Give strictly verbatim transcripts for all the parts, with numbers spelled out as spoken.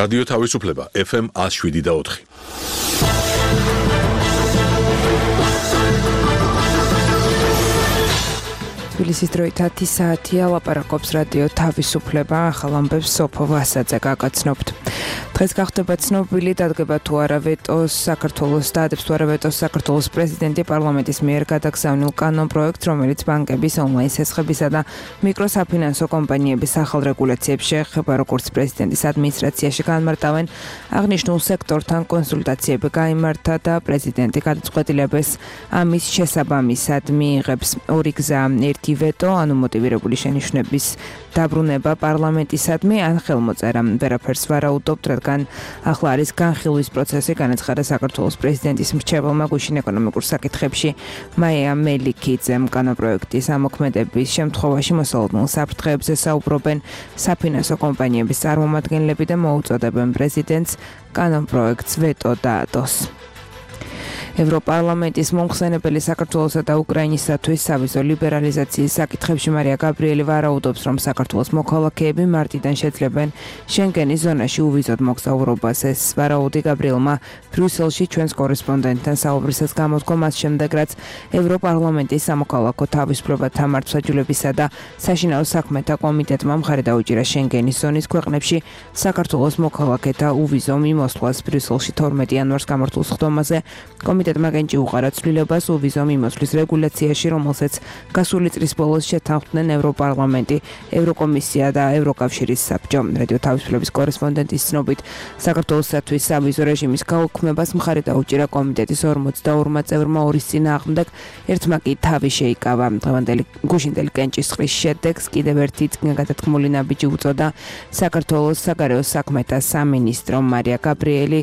რადიო თავისუფლება ეფ ემ ათს შვიდი და ოთხი. თბილისის დროით ათი საათია, ლაპარაკობს რადიო თავისუფლება, ახალ ამბებს სოფო ვასაძე გაგაცნობთ. დღეს გახდება ცნობილი, დადგება თუ არა ვეტოს საქართველოს დაადებს თუ არა ვეტოს საქართველოს პრეზიდენტი პარლამენტის მიერ გადაგზავნილ კანონპროექტს, რომელიც ბანკების ონლაინ სესხებისა და მიკროსაფინანსო კომპანიების ახალ რეგულაციებს შეეხება, როგორც პრეზიდენტის ადმინისტრაციაში განმარტავენ. აღნიშნულ სექტორთან კონსულტაციები გაიმართა და პრეზიდენტი გადაწყვეტილებას ამის შესაბამისად მიიღებს. ორი გზა, ერთი ვეტო, ანუ მოტივირებული შენიშვნების დაბრუნება პარლამენტისადმი, ან ხელმოწერა. ვერაფერს ვარაუდობთ, რადგან ახლა არის განხილვის პროცესი, განაცხადა საქართველოს პრეზიდენტის მრჩეველმა გუშინ ეკონომიკურ საკითხებში მაია მელიქიძემ. კანონპროექტის ამოქმედების შემთხვევაში მოსალოდნელ საფრთხეებზე საუბრობენ საფინანსო კომპანიების წარმომადგენლები და მოუწოდებენ პრეზიდენტს კანონპროექტს ვეტო დაადოს. ევროპარლამენტის მომხსენებელი საქართველოსა და უკრაინისათვის სავიზო ლიბერალიზაციის საკითხებში მარია გაბრიელი ვარაუდობს, რომ საქართველოს მოქალაქეები მარტიდან შეძლებენ შენგენის ზონაში უვიზოდ მოგზაურობას. ეს ვარაუდი გაბრიელმა ბრიუსელში ჩვენს კორესპონდენტთან საუბრისას გამოთქვა მას შემდეგ, რაც ევროპარლამენტის სამოქალაქო თავისუფლებათა მართლმსაჯულებისა და საშინაო საქმეთა კომიტეტმა მხარი დაუჭირა შენგენის ზონის ქვეყნებში საქართველოს მოქალაქეთა უვიზო მიმოსვლას. ბრიუსელში თორმეტი იანვარს გამართულ სხდომაზე კომიტეტმა გენჭი უყარა ცვლილებას უვიზო მიმოსვლის რეგულაციაში, რომელსაც გასული წლის ბოლოს შეთანხმდნენ ევროპარლამენტი, ევროკომისია და ევროკავშირის საბჭო. რადიო თავისუფლების კორესპონდენტის ცნობით, საქართველოსათვის სავიზო რეჟიმის გაუქმებას მხარი დაუჭირა კომიტეტის ორმოცდაორმა წევრმა, ორის წინააღმდეგ ერთმა კი თავი შეიკავა. დღევანდელი გუშინდელი კენჭის წყლის შედეგს კიდევ ერთი წინაგადათქმული ნაბიჯი უწოდა საქართველოს საგარეო საქმეთა სამინისტრო. მარია გაბრიელი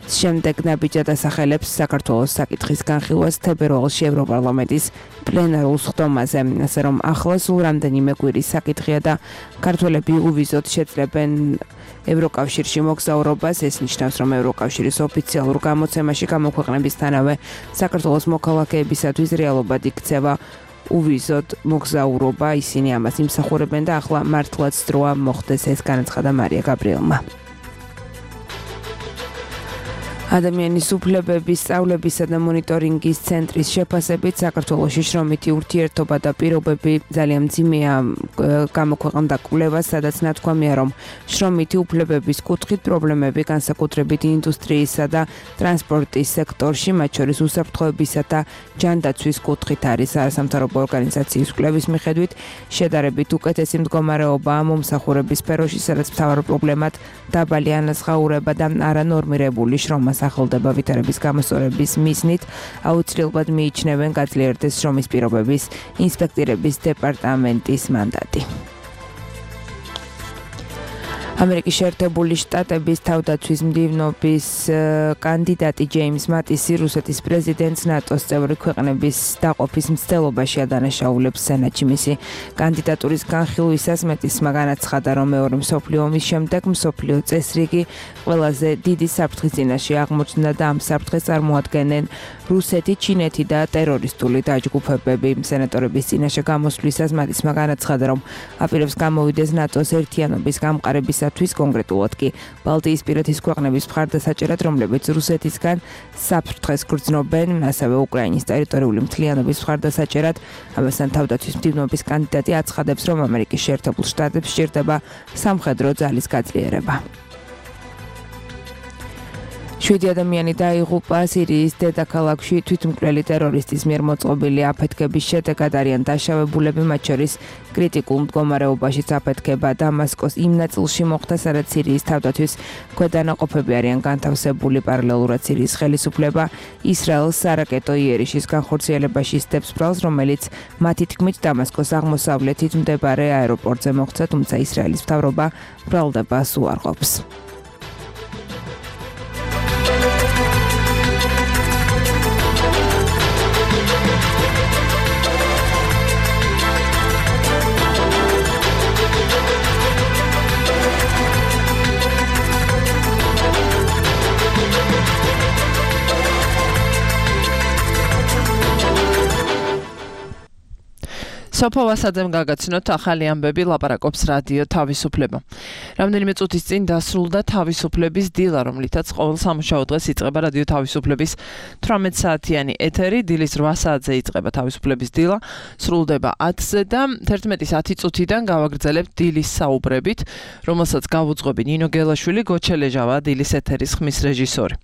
შემდეგ ნაბიჯად ასახელებს საქართველოს საკითხის განხილვას თებერვალში ევროპარლამენტის პლენარულ სხდომაზე, ასე რომ ახლა სულ რამდენიმე კვირის საკითხია და ქართველები უვიზოდ შეძლებენ ევროკავშირში მოგზაურობას. ეს ნიშნავს, რომ ევროკავშირის ოფიციალურ გამოცემაში გამოქვეყნებისთანავე საქართველოს მოქალაქეებისათვის რეალობად იქცევა უვიზოდ მოგზაურობა. ისინი ამას იმსახურებენ და ახლა მართლაც დროა მოხდეს ეს, განაცხადა მარია გაბრიელმა. ადამიანის უფლებების სწავლებისა და მონიტორინგის ცენტრის შეფასებით საქართველოში შრომითი ურთიერთობა და პირობები ძალიან მძიმეა. გამოქვეყნდა კვლევა, სადაც ნათქვამია, რომ შრომითი უფლებების კუთხით პრობლემები განსაკუთრებით ინდუსტრიისა და ტრანსპორტის სექტორში, მათ შორის უსაფრთხოებისა და ჯანდაცვის კუთხით არის. არასამთავრობო ორგანიზაციის კვლევის მიხედვით შედარებით უკეთესი მდგომარეობაა მომსახურების სფეროში, სადაც მთავარ პრობლემად დაბალი ანაზღაურება და არანორმირებული შრომა სახელდება ვითარების გამოსწორების მიზნით. აუცილებლად მიიჩნევენ გაძლიერდეს შრომის პირობების ინსპექტირების დეპარტამენტის მანდატი. ამერიკის შეერთებული შტატების თავდაცვის მდივნობის კანდიდატი ჯეიმს მატისი რუსეთის პრეზიდენტს ნატოს წევრი ქვეყნების დაყოფის მცდელობაში ადანაშაულებს სენატში. მისი კანდიდატურის განხილვისას მატისმა განაცხადა, რომ მეორე მსოფლიო ომის შემდეგ მსოფლიო წესრიგი ყველაზე დიდი საფრთხის წინაშე აღმოჩნდა და ამ საფრთხეს წარმოადგენენ რუსეთი, ჩინეთი და ტერორისტული დაჯგუფებები. სენატორების წინაშე გამოსვლისას მატისმა განაცხადა, რომ აპირებს გამოვიდეს ნატოს ერთიანობის გამყარებისა კონკრეტულად კი ბალტიისპირეთის ქვეყნების მხარდასაჭერად, რომლებიც რუსეთისგან საფრთხეს გრძნობენ, ასევე უკრაინის ტერიტორიული მთლიანობის მხარდასაჭერად. ამასთან თავდაცვის მდივნობის კანდიდატი აცხადებს, რომ ამერიკის შეერთებულ შტატებს სჭირდება სამხედრო ძალის გაძლიერება. შვიდი ადამიანი დაიღუპა სირიის დედაქალაქში თვითმკვლელი ტერორისტის მიერ მოწყობილი აფეთქების შედეგად. არიან დაშავებულები, მათ შორის კრიტიკულ მდგომარეობაშიც აფეთქება დამასკოს იმ ნაწილში მოხდა, სადაც სირიის თავდაცვის ქვედანაყოფები არიან განთავსებული. პარალელურად სირიის ხელისუფლება ისრაელს სარაკეტო იერიშის განხორციელებაში სდებს ბრალს, რომელიც მათი თქმით დამასკოს აღმოსავლეთით მდებარე აეროპორტზე მოხდა, თუმცა ისრაელის მთავრობა ბრალდებას უარყოფს. სოფო ვასაძემ გაგაცნოთ ახალი ამბები ლაპარაკობს რადიო თავისუფლება. რამდენიმე წუთის წინ დასრულდა თავისუფლების დილა, რომლითაც ყოველ სამუშაო დღეს იწყება რადიო თავისუფლების თვრამეტ საათიანი ეთერი. დილის რვა საათზე იწყება თავისუფლების დილა, სრულდება ათზე და თერთმეტის ათი წუთიდან გავაგრძელებთ დილის საუბრებით, რომელსაც გავუძღვები ნინო გელაშვილი, გოჩელეჟავა დილის ეთერის ხმის რეჟისორი.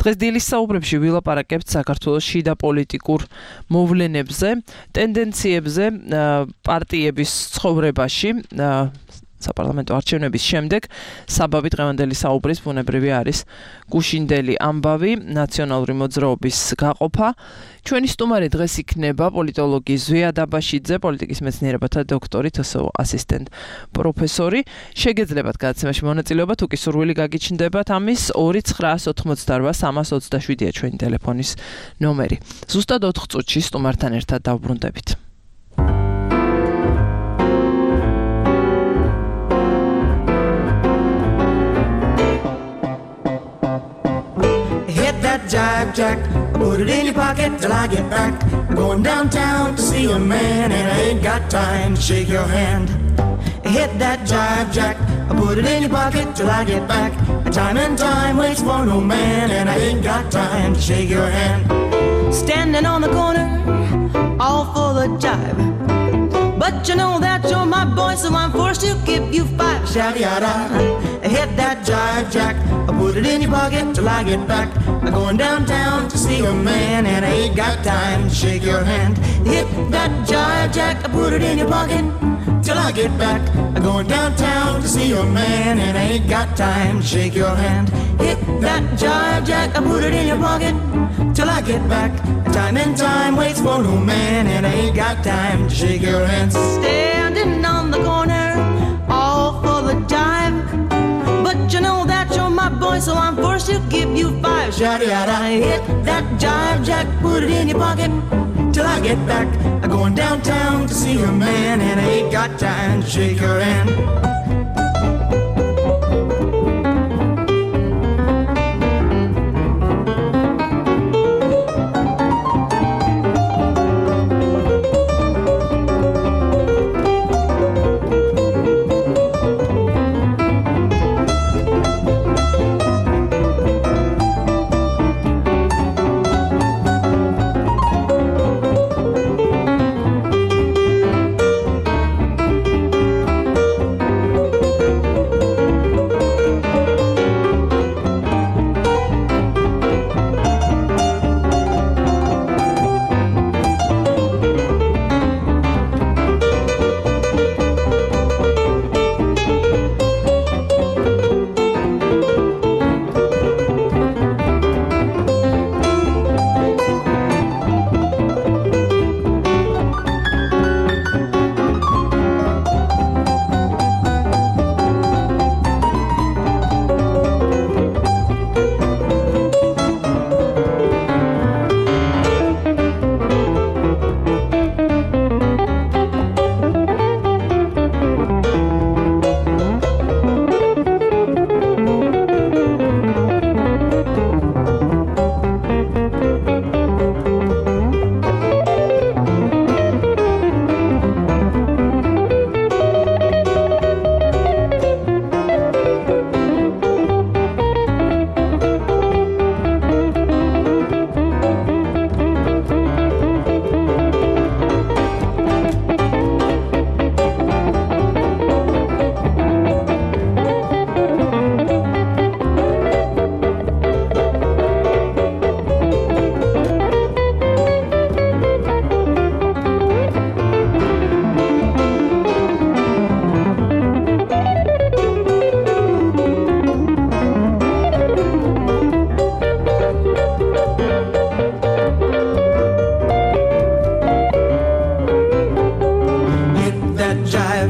დღეს დილის საუბრებში ვილაპარაკებთ საქართველოს შიდა პოლიტიკურ მოვლენებზე, ტენდენციებზე პარტიების ცხოვრებაში საპარლამენტო არჩევნების შემდეგ საბაბი დღევანდელი საუბრის ბუნებრივი არის გუშინდელი ამბავი, ნაციონალური მოძრაობის გაყოფა. ჩვენი სტუმარი დღეს იქნება პოლიტოლოგი ზვია დაბაშიძე, პოლიტიკის მეცნიერებათა დოქტორი, თსო ასისტენტ პროფესორი. შეგეძლებათ გადაცემაში მონაწილეობა, თუ კი სურვილი გაგიჩნდებათ, ამის ორი ცხრაას ოთხმოცდარვა სამას ოცდაშვიდია ჩვენი ტელეფონის ნომერი. ზუსტად ოთხ წუთში სტუმართან ერთად დავბრუნდებით. Jive Jack, put it in your pocket till I get back. I'm going downtown to see a man and I ain't got time to shake your hand. Hit that jive Jack, put it in your pocket till I get back. Time and time waits for no man and I ain't got time to shake your hand. Standing on the corner, all full of jive. But you know that you're my boy, so I'm forced to give you five. Shout yada, hit that jive Jack, put it in your pocket till I get back. I'm going downtown to see a man and I ain't got time to shake your hand. Hit that jive Jack, put it in your pocket till I get back. I'm going downtown to see a man and I ain't got time to shake your hand. Hit that jive Jack, put it in your pocket till I get back. Time and time waits for no man and I ain't got time to shake your hand. Standing on the corner, all full of jive. But you know that you're my boy, so I'm forced to give you five. Shawty, I hit that jive Jack, put it in your pocket till I get back. I'm going downtown to see a man and I ain't got time to shake your hand.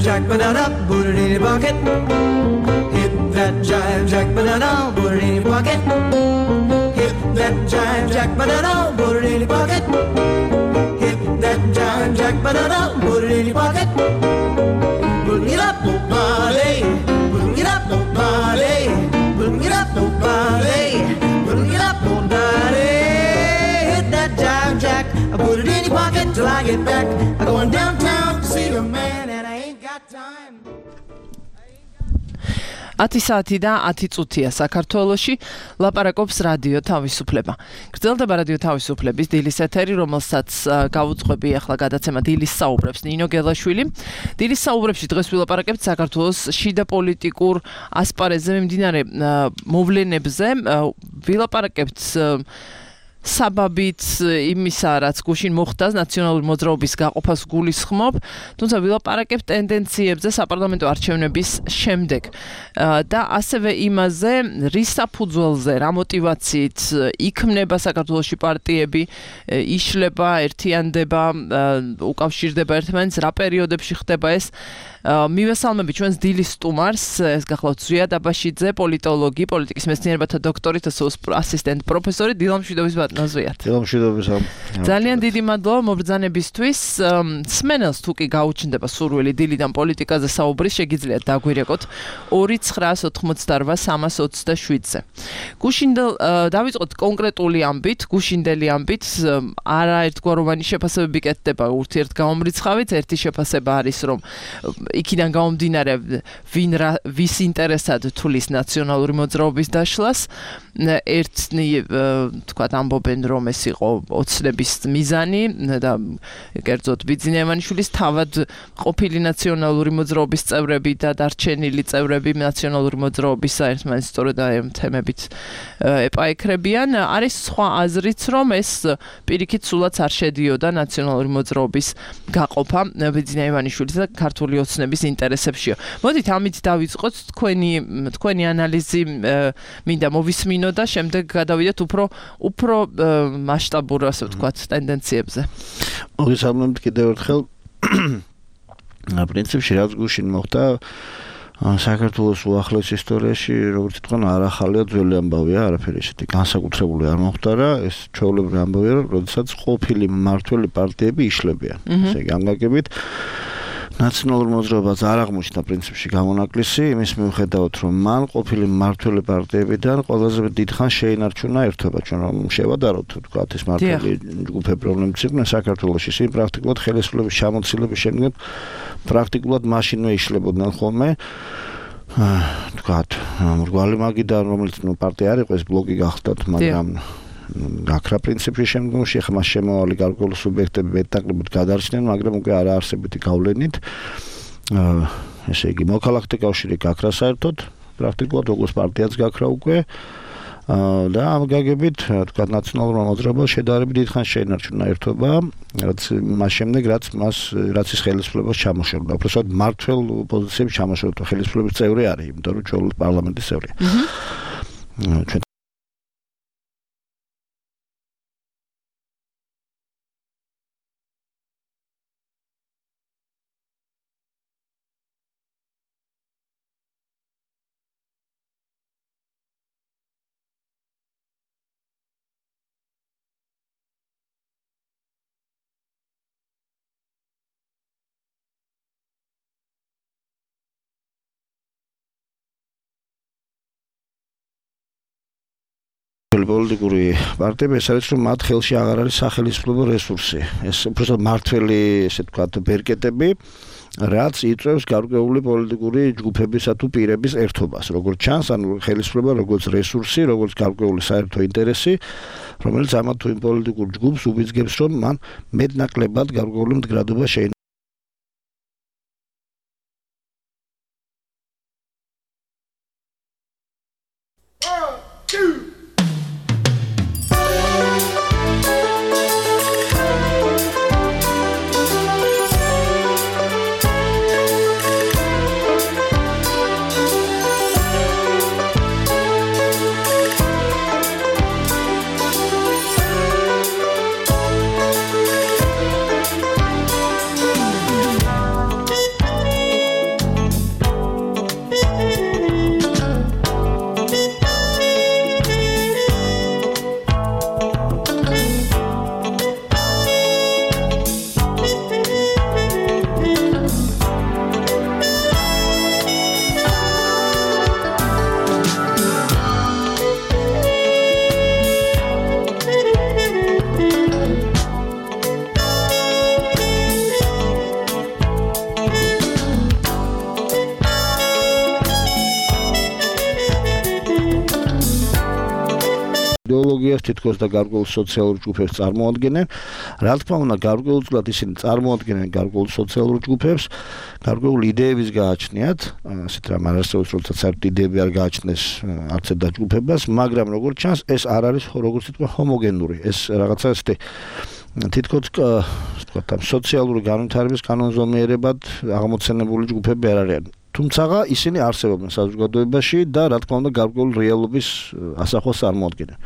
jack, banana, put it in your pocket. Hit that jive jack, banana, put it in your pocket. Hit that jive jack, banana, put it in your pocket. Hit that jive jack, banana, put it in your pocket. Bring it up, nobody. Bring it up, nobody. Bring it up, nobody. Bring it up, nobody. Hit that jive jack, I put it in your pocket till I get back. I'm going downtown. ათი საათი და ათი წუთია საქართველოში ლაპარაკობს რადიო თავისუფლება. გრძელდება რადიო თავისუფლების დილის ეთერი, რომელსაც გავუძღვები ახლა გადაცემა დილის საუბრებს ნინო გელაშვილი. დილის საუბრებში დღეს ვილაპარაკებთ საქართველოს შიდა პოლიტიკურ ასპარეზზე მიმდინარე მოვლენებზე. ვილაპარაკებთ საბაბით იმისა, რაც გუშინ მოხდა ნაციონალური მოძრაობის გაყოფას გულისხმობ, თუმცა ვილაპარაკებთ ტენდენციებზე საპარლამენტო არჩევნების შემდეგ და ასევე იმაზე, რის საფუძველზე, რა მოტივაციით იქმნება საქართველოში პარტიები, იშლება, ერთიანდება, უკავშირდება ერთმანეთს, რა პერიოდებში ხდება ეს. მივესალმები ჩვენს დილის სტუმარს, ეს გახლავთ ზვია დაბაშიძე, პოლიტოლოგი, პოლიტიკის მეცნიერებათა დოქტორი, თსოს ასისტენტ პროფესორი, დილამშვიდობის ბატონო ზვიათ. დილამშვიდობის. ძალიან დიდი მადლობა მობრძანებისთვის. სმენელს თუ კი გაუჩნდება სურვილი დილიდან პოლიტიკაზე საუბრის, შეგიძლიათ დაგვირეკოთ ორი ცხრაას ოცდაოთხ სამას ოცდაშვიდზე. გუშინდელ დავიწყოთ კონკრეტული ამბით, გუშინდელი ამბით, არაერთგვაროვანი შეფასებები კეთდება ურთიერთგამომრიცხავით, ერთი შეფასება არის, რომ იქიდან გამომდინარე ვინ ვის ინტერესად თulis ნაციონალური მოძრაობის დაშლას, ერთნი თქვათ ამბობენ რომ ეს იყო ოცნების მიზანი და კერძოდ ბიძინეევანიშვილის თავად ყოფილი ნაციონალური მოძრაობის წევრები და დარჩენილი წევრები ნაციონალური მოძრაობის საერთმანეთს სწორედ ამ თემებით ეპაექრებიან. არის სხვა აზრიც, რომ ეს პირიქით სულაც არ შედიოდა ნაციონალური მოძრაობის გაყოფა ბიძინეევანიშვილის და ქართული ოცნების ინტერესებშია. მოდით ამით დავიწყოთ, თქვენი თქვენი ანალიზი მინდა მოვისმინო და შემდეგ გადავიდეთ უფრო უფრო მასშტაბურ, ასე ვთქვათ, ტენდენციებზე. მოგესალმებით კიდევ ერთხელ. პრინციპში რაც გუშინ მოხდა საქართველოს უახლეს ისტორიაში, როგორც თქვენ, არ ახალია, ძველი ამბავია, არაფერი ისეთი განსაკუთრებული არ მოხდა, ეს ჩვეულებრივი ამბავია, როდესაც ყოფილი მმართველი პარტიები იშლებიან. ესე იგი, ამგაგებით ნაციონალურ მოძრაობას არ აღმოჩნდა პრინციპში გამონაკლისი, იმის მიუხედავად, რომ მან ყოფილი მმართველი პარტიებიდან ყველაზე დიდხანს შეინარჩუნა ერთობა, ჩვენ რომ შევადაროთ, თქვათ, ეს მმართველი ჯგუფები, რომლებიც იყვნენ საქართველოში, ისინი პრაქტიკულად ხელისუფლების ჩამოცილების შემდეგ პრაქტიკულად მაშინვე იშლებოდნენ ხოლმე. თქვათ, მრგვალი მაგიდან, რომელიც ნუ პარტია არ იყო, ეს ბლოკი გახდათ, მაგრამ გაქრა პრინციპში შემდგომში ხმა შემოვალი გარკვეული სუბიექტები მეტნაკლებად გადარჩნენ, მაგრამ უკვე არ არსებითი გავლენით. ესე იგი, მოქალაქეთა კავშირი გაქრა საერთოდ, პრაქტიკულად როგორც პარტიაც გაქრა უკვე. და ამ გაგებით, თქვა, ნაციონალურმა მოძრაობამ შედარებით დიდხანს შეინარჩუნა ერთობა, რაც მას შემდეგ, რაც მას რაც ის ხელისუფლებას ჩამოშორდა. უბრალოდ მმართველ პოზიციებში ჩამოშორდა, ხელისუფლების წევრი არის, იმიტომ რომ ჩვეულებრივ პარლამენტის წევრია. ჩვენ პოლიტიკური პარტიები ეს არის, რომ მათ ხელში აღარ არის სახელისუფლებო რესურსი. ეს უბრალოდ მმართველი, ესე ვთქვათ, ბერკეტები, რაც იწვევს გარკვეული პოლიტიკური ჯგუფებისა თუ პირების ერთობას. როგორც ჩანს, ანუ ხელისუფლება როგორც რესურსი, როგორც გარკვეული საერთო ინტერესი, რომელიც ამათ თუ იმ პოლიტიკურ ჯგუფს უბიძგებს, რომ მან მეტნაკლებად გარკვეული მდგრადობა შეინარჩუნოს. პარტიას თითქოს და გარკვეულ სოციალურ ჯგუფებს წარმოადგენენ. რა თქმა უნდა, გარკვეულწილად ისინი წარმოადგენენ გარკვეულ სოციალურ ჯგუფებს, გარკვეულ იდეების გააჩნიათ, ასეთ რამ არ არსებობს, როდესაც საერთოდ იდეები არ გააჩნდეს არც ერთ დაჯგუფებას, მაგრამ როგორც ჩანს, ეს არ არის როგორც ითქვა ჰომოგენური. ეს რაღაცა ესეთი თითქოს ვთქვათ, ამ სოციალური განვითარების კანონზომიერებად აღმოცენებული ჯგუფები არ არიან. თუმცა ისინი არსებობენ საზოგადოებაში და რა თქმა უნდა გარკვეულ რეალობის ასახვას წარმოადგენენ.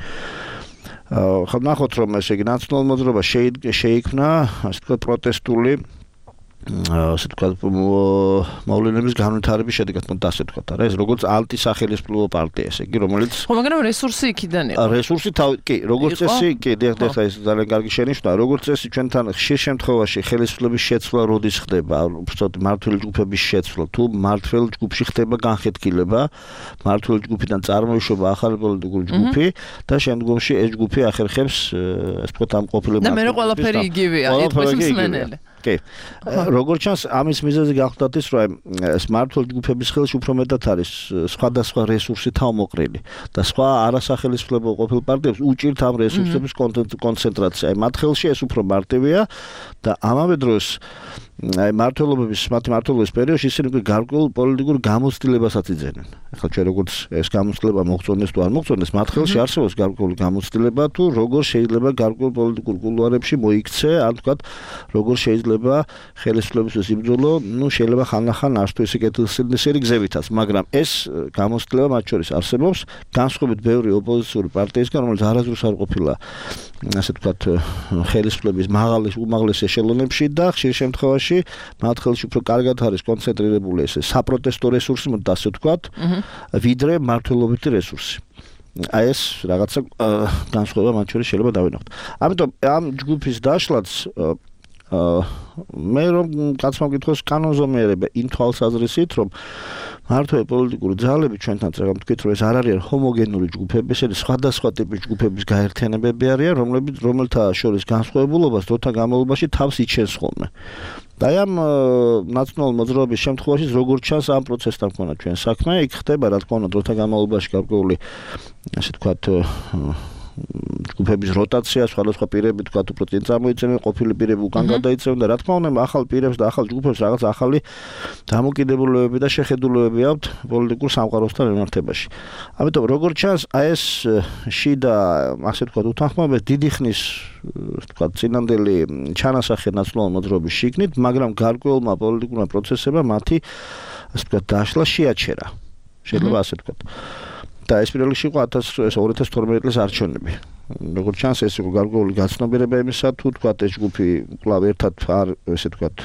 ხო ნახოთ რომ ესე იგი ნაციონალურ მოძრაობა შეიქმნა, ასე ვთქვათ, პროტესტული ასე ვთქვათ, მოვლენების განვითარების შედეგად, მოდი ასე ვთქვათ, არა, ეს როგორც ანტისახელისმწიფო პარტია, ესე იგი, რომელიც ხო, მაგრამ რესურსი იქიდან იყო. რესურსი კი, როგორც წესი, კი, დიახ, ეს ძალიან კარგი შენიშვნაა. როგორც წესი, ჩვენთან ხშირ შემთხვევაში ხელისუფლების შეცვლა როდის ხდება, უბრალოდ მმართველი ჯგუფების შეცვლა, თუ მმართველ ჯგუფში ხდება განხეთქილება, მმართველი ჯგუფიდან წარმოიშობა ახალი პოლიტიკური ჯგუფი და შემდგომში ეს ჯგუფი ახერხებს, ასე ვთქვათ, ამ ყოფილი და მე ყველაფერი იგივეა, ეთქვის მსმენელი. კი. როგორც ჩანს, ამის მიზეზი გახლდათ ის, რომ ეს მმართველ ჯგუფების ხელში უფრო მეტად არის სხვადასხვა რესურსი თავმოყრილი და სხვა არასახელისმწიფო ყოფილ პარტიებს უჭირთ ამ რესურსების კონცენტრაცია. მათ ხელში ეს უფრო მარტივია და ამავე დროს აი მმართველობის, მათი მმართველობის პერიოდში ისინი უკვე გარკვეულ პოლიტიკურ გამოცდილებასაც იძენენ. ახლა ჩვენ როგორც ეს გამოცდილება მოხწონდეს თუ არ მოხწონდეს, მათ ხელში არსებობს გარკვეული გამოცდილება თუ როგორ შეიძლება გარკვეულ პოლიტიკურ კულუარებში მოიქცე, ან თქვათ, როგორ შეიძლება ხელისუფლებისთვის იბრძოლო, ну შეიძლება ხანახან არც თუ ისე კეთილსინდისერი გზებითაც, მაგრამ ეს გამოცდილება მათ შორის არსებობს, განსხვავებით ბევრი ოპოზიციური პარტიისგან, რომელიც არასდროს არ ყოფილა ასე ვთქვათ, ხელისუფლების მაღალი უმაღლეს ეშელონებში და ხშირ შემთხვევაში მათ ხელში უფრო კარგად არის კონცენტრირებული ეს საპროტესტო რესურსი, მოდი ასე ვთქვათ, ვიდრე მმართველობითი რესურსი. აი ეს რაღაცა განსხვავება მათ შორის შეიძლება დავინახოთ. ამიტომ ამ ჯგუფის დაშლაც მე რომ კაცმა მკითხოს კანონზომიერება იმ თვალსაზრისით, რომ მართლაც პოლიტიკური ძალები ჩვენთან წეგამ თქვით, რომ ეს არ არიან ჰომოგენური ჯგუფები, ესენი სხვადასხვა ტიპის ჯგუფების გაერთიანებები არიან, რომლებიც რომელთა შორის განსხვავებულობას დროთა განმავლობაში თავს იჩენს ხოლმე. და ამ ნაციონალურ მოძრაობის შემთხვევაში როგორც ჩანს ამ პროცესთან მქონდა ჩვენ საქმე, იქ ხდება რა თქმა უნდა დროთა განმავლობაში გარკვეული ასე ვთქვათ ჯგუფების როტაცია, სხვადასხვა პირები თქვათ უფრო წინ წარმოიძენენ, ყოფილი პირები უკან გადაიწევენ და რა თქმა უნდა ახალ პირებს და ახალ ჯგუფებს რაღაც ახალი დამოკიდებულებები და შეხედულებები აქვთ პოლიტიკურ სამყაროსთან მიმართებაში. ამიტომ როგორც ჩანს, აი ეს შიდა ასე ვთქვათ უთანხმოებები დიდი ხნის ვთქვათ წინანდელი ჩანასახე ნაციონალურ მოძრაობის შიგნით, მაგრამ გარკვეულმა პოლიტიკურმა პროცესებმა მათი ასე ვთქვათ დაშლა შეაჩერა. შეიძლება ასე ვთქვათ. და ეს პირველ რიგში იყო ორი ათას თორმეტი წლის არჩევნები. როგორც ჩანს, ეს იყო გარკვეული გაცნობიერება იმისა, თუ თქვათ ეს ჯგუფი კვლავ ერთად არ ესე თქვათ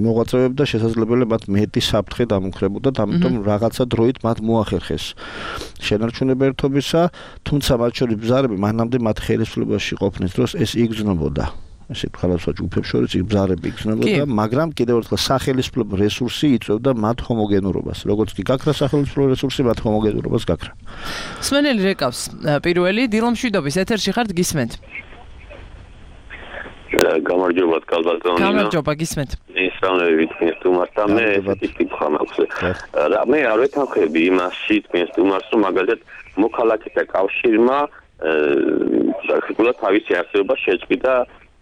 იმოღვაწეებდა, შესაძლებელია მათ მეტი საფრთხე დამუქრებოდა, ამიტომ რაღაცა დროით მათ მოახერხეს შენარჩუნება ერთობისა, თუმცა მათ შორის ბზარები მანამდე მათ ხელისუფლებაში ყოფნის დროს ეს იგრძნობოდა. ესე ხალხსა ჯგუფებს შორის იბზარები იქნებოდა, მაგრამ კიდევ ერთხელ სახელმწიფო რესურსი იწვევდა მათ ჰომოგენურობას. როგორც კი გაქრა სახელმწიფო რესურსი, მათ ჰომოგენურობას გაქრა. სმენელი რეკავს პირველი დილომშვიდობის ეთერში ხართ გისმენთ. გამარჯობა კალბატონი. გამარჯობა გისმენთ. ისწავლებით თქვენს თუმარსთან მე ესეთი კითხვა მაქვს. რა მე არ ვეთანხმები იმასში თქვენს თუმარს, რომ მაგალითად მოქალაქეთა კავშირმა საკუთარ თავისი არსებობა შეწყვიტა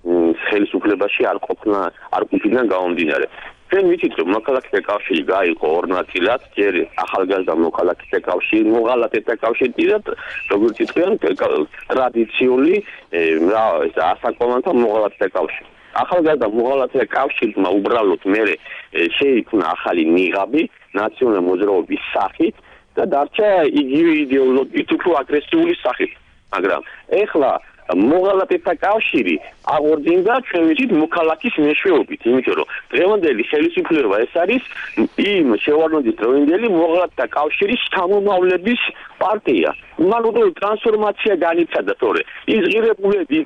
ხელისუფლებაში არ ყოფნა არ ყოფიდან გამომდინარე. ჩვენ ვიცით რომ მოქალაქეთა კავშირი გაიყო ორ ნაწილად, ჯერ ახალგაზრდა მოქალაქეთა კავშირი, მოღალატეთა კავშირი და როგორც იტყვიან ტრადიციული რა ეს ასაკოვანთა მოღალატეთა კავშირი. ახალგაზრდა მოღალატეთა კავშირმა უბრალოდ მე შეიქმნა ახალი ნიღაბი ნაციონალური მოძრაობის სახით და დარჩა იგივე იდეოლოგიით უფრო აგრესიული სახით. მაგრამ ეხლა მოღალატეთა კავშირი აღორძინდა ჩვენ ვიცით მოქალაქის მეშვეობით, იმიტომ რომ დღევანდელი ხელისუფლება ეს არის იმ შევარდნაძის დროინდელი მოღალატეთა კავშირის შთამომავლების პარტია. მან უფრო ტრანსფორმაცია განიცადა, თორე ის ღირებულები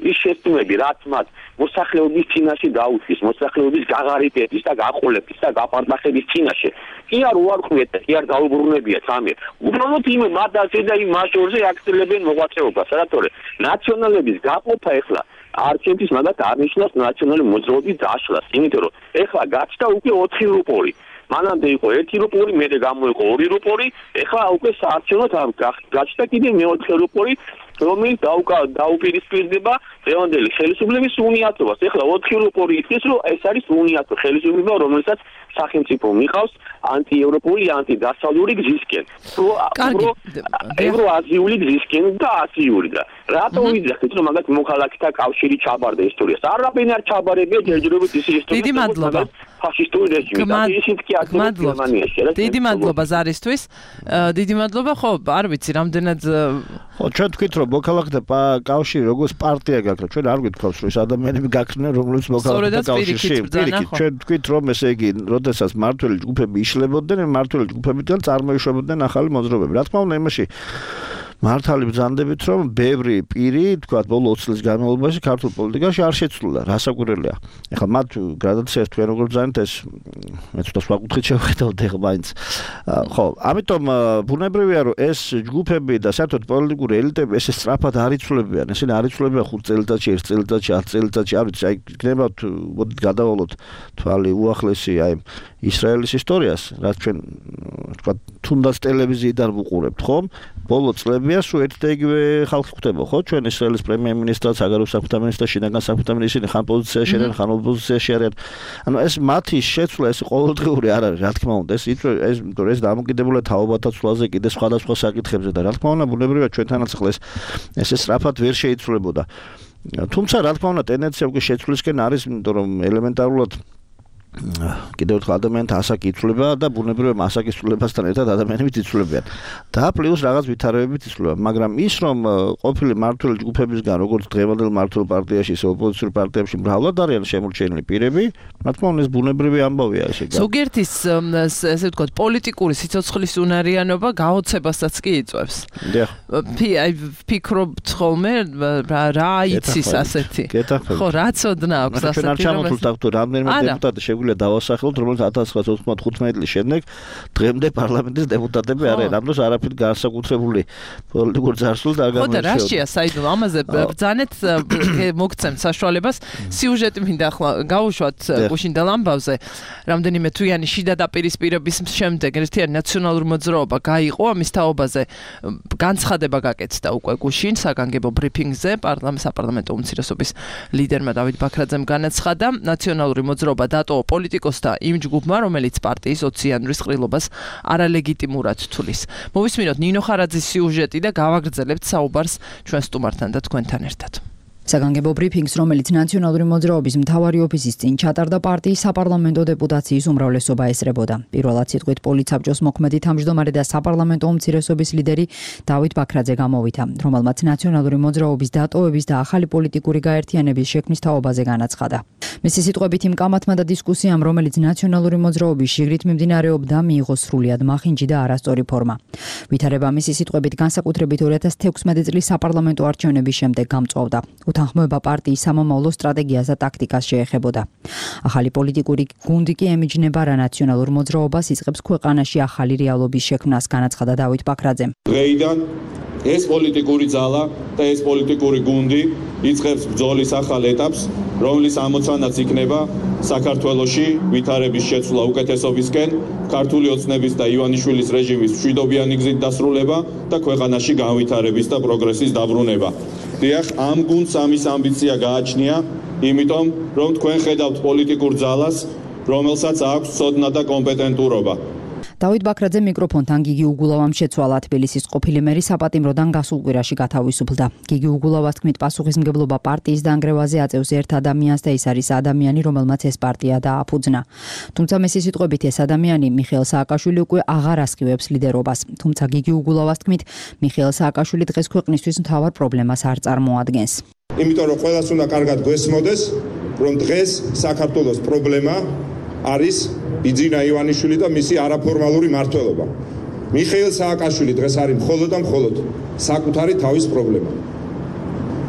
ის შეცდომები, რაც მათ მოსახლეობის წინაშე დაუწყეს, მოსახლეობის გაღარიბების და გაყოლების და გაპარტახების წინაშე. კი არ უარყოფიეთ და კი არ დაუბრუნებიათ ამერ. უბრალოდ იმ მადაზე და იმ მაჟორზე აქცელებენ მოღვაწეობას, რატომ? ნაციონალების გაყოფა ეხლა არჩევნების მაგათ არნიშნავს ნაციონალური მოძრაობის დაშლას, იმიტომ რომ ეხლა გაჩნდა უკვე ოთხი რუპორი. მანამდე იყო ერთი რუპორი, მერე გამოიყო ორი რუპორი, ეხლა უკვე საარჩევნოდ გაჩნდა კიდე მეოთხე რუპორი, რომელიც დაუპირისპირდება დღევანდელი ხელისუფლების უნიატობას. ეხლა ოთხი რუპორი ითქვის, რომ ეს არის უნიატო ხელისუფლება, რომელსაც სახელმწიფო მიყავს ანტიევროპული, ანტიდასავლური გზისკენ. ევროაზიული გზისკენ და აზიური და რატო ვიძახით, რომ მაგათ მოქალაქეთა კავშირი ჩაბარდა ისტორიას. არაფერი არ ჩაბარებია ჯერჯერობით ის ისტორია. დიდი მადლობა. ფაშისტური რეჟიმი და ისიც კი აქ გერმანიაში. დიდი მადლობა ზარისთვის. დიდი მადლობა, ხო, არ ვიცი, რამდენად ხო, ჩვენ თქვით, რომ მოქალაქეთა კავშირი როგორც პარტია გაქვს, ჩვენ არ გვითხოვს, რომ ეს ადამიანები გაქრნენ, რომლებიც მოქალაქეთა კავშირში. პირიქით, ჩვენ თქვით, რომ ესე იგი, როდესაც მართველი ჯგუფები იშლებოდნენ, მართველი ჯგუფებიდან წარმოიშვებოდნენ ახალი მოძრაობები. რა თქმა უნდა, იმაში მართალი ბრძანდებით, რომ ბევრი პირი, თქვა, ბოლო ოცი წლის განმავლობაში ქართულ პოლიტიკაში არ შეცვლა, რასაკვირველია. ეხლა მათ გრადაციას თქვენ როგორ ბრძანეთ, ეს მე ცოტა სხვა კუთხით შევხედავთ ეხლა მაინც. ხო, ამიტომ ბუნებრივია, რომ ეს ჯგუფები და საერთოდ პოლიტიკური ელიტები ესე სწრაფად არ იცვლებიან, ესენი არ იცვლებიან ხუთ წელიწადში, ერთ წელიწადში, ათ წელიწადში, არ ვიცი, აი იქნება მოდით გადავალოთ თვალი უახლესი აი ისრაელის ისტორიას, რაც ჩვენ თქვა თუნდაც ტელევიზიიდან ვუყურებთ, ხო? ბოლო წლებია სულ ერთ და იგივე ხალხი ხდება, ხო? ჩვენ ისრაელის პრემიერ-მინისტრად, საგარეო საქმეთა მინისტრად, შინაგან საქმეთა მინისტრი ხან პოზიციაში არიან, ხან ოპოზიციაში არიან. ანუ ეს მათი შეცვლა ეს ყოველდღიური არ არის, რა თქმა უნდა, ეს ეს ეს დამოკიდებულია თაობათა ცვლაზე, კიდე სხვადასხვა საკითხებზე და რა თქმა უნდა, ბუნებრივია ჩვენთანაც ახლა ეს ესე სწრაფად ვერ შეიცვლებოდა. თუმცა რა თქმა უნდა, ტენდენცია უკვე შეცვლისკენ არის, იმიტომ რომ ელემენტარულად კიდევ ერთხელ ადამიანთა ასაკი იცვლება და ბუნებრივია ასაკის ცვლილებასთან ერთად ადამიანებიც იცვლებიან. და პლუს რაღაც ვითარებებით იცვლება, მაგრამ ის რომ ყოფილი მმართველი ჯგუფებისგან, როგორც დღევანდელ მმართველ პარტიაში, ისე ოპოზიციურ პარტიებში მრავლად არიან შემორჩენილი პირები, რა თქმა უნდა ეს ბუნებრივი ამბავია ესე გა. ზოგიერთის ესე ვთქვათ, პოლიტიკური სიცოცხლის უნარიანობა გაოცებასაც კი იწვევს. დიახ. აი ვფიქრობთ ხოლმე რა იცის ასეთი. ხო, რა ცოდნა აქვს ასეთი. ჩვენ არ ჩამოთვლით აქ თუ რამდენიმე დეპუტატი შეგვიძლია დავასახელოთ, რომელიც ათას ცხრაასი ოცდახუთმეტი წლის შემდეგ დღემდე პარლამენტის დეპუტატები არიან. ამ დროს არაფერი განსაკუთრებული პოლიტიკური ძარცვლა არ გამოიწვია. ხო და რაშია შეეძლო. საიდო ამაზე ბრძანეთ მოგცემთ საშუალებას. სიუჟეტი მინდა ახლა გავუშვათ გუშინდელ ამბავზე. რამდენიმე თვიანი შიდა დაპირისპირების შემდეგ ერთიანი ნაციონალური მოძრაობა გაიყო ამის თაობაზე. განცხადება გაკეთდა უკვე გუშინ საგანგებო ბრიფინგზე პარლამენტის საპარლამენტო უმცირესობის ლიდერმა დავით ბაქრაძემ განაცხადა ნაციონალური მოძრაობა დატოვა პოლიტიკოსთა იმ ჯგუფმა, რომელიც პარტიის ოციანურის ყრილობას არალეგიტიმურად თვლის. მოვისმინოთ ნინო ხარაძის სიუჟეტი და გავაგრძელებთ საუბარს ჩვენ სტუმართან და თქვენთან ერთად. საგანგებო ბრიფინგს, რომელიც ნაციონალური მოძრაობის მთავარი ოფისის წინ ჩატარდა, პარტიის საპარლამენტო დეპუტაციის უმრავლესობა ესწრებოდა. პირველად სიტყვით პოლიცაბჭოს მოქმედი თავმჯდომარე და საპარლამენტო უმცირესობის ლიდერი დავით ბაქრაძე გამოვიდა, რომელმაც ნაციონალური მოძრაობის დატოვების და ახალი პოლიტიკური გაერთიანების შექმნის თაობაზე განაცხადა. მისი სიტყვებით იმ კამათმა და დისკუსიამ, რომელიც ნაციონალური მოძრაობის შიგრით მიმდინარეობდა, მიიღო სრულიად მახინჯი და არასწორი ფორმა. ვითარება მისი სიტყვებით განსაკუთრებით ორი ათას თექვსმეტი წლის საპარლამენტო არჩევნების შემდეგ გამწვავდა. უთანხმოება პარტიის სამომავლო სტრატეგიას და ტაქტიკას შეეხებოდა. ახალი პოლიტიკური გუნდი კი ემიჯნება რა ნაციონალურ მოძრაობას იწყებს ქვეყანაში ახალი რეალობის შექმნას, განაცხადა დავით ბაქრაძემ. დღეიდან ეს პოლიტიკური ძალა და ეს პოლიტიკური გუნდი იწყებს ბრძოლის ახალ ეტაპს, რომლის ამოცანაც იქნება საქართველოში ვითარების შეცვლა უკეთესობისკენ, ქართული ოცნების და ივანიშვილის რეჟიმის მშვიდობიანი გზით დასრულება და ქვეყანაში განვითარების და პროგრესის დაბრუნება. დიახ, ამ გუნდს ამის ამბიცია გააჩნია, იმიტომ რომ თქვენ ხედავთ პოლიტიკურ ძალას, რომელსაც აქვს ცოდნა და კომპეტენტურობა. დავით ბაქრაძე მიკროფონთან გიგი უგულავამ შეცვალა. თბილისის ყოფილი მერი საპატიმროდან გასულ კვირაში გათავისუფლდა. გიგი უგულავას თქმით, პასუხისმგებლობა პარტიის დანგრევაზე აწევს ერთ ადამიანს და ის არის ადამიანი, რომელმაც ეს პარტია დააფუძნა. თუმცა მისი სიტყვებით ეს ადამიანი მიხეილ სააკაშვილი უკვე აღარ ასხივებს ლიდერობას. თუმცა გიგი უგულავას თქმით, მიხეილ სააკაშვილი დღეს ქვეყნისთვის მთავარ პრობლემას არ წარმოადგენს. იმიტომ რომ ყველას უნდა კარგად გვესმოდეს, რომ დღეს საქართველოს პრობლემა არის ბიძინა ივანიშვილი და მისი არაფორმალური მმართველობა. მიხეილ სააკაშვილი დღეს არის მხოლოდ და მხოლოდ საკუთარი თავის პრობლემა.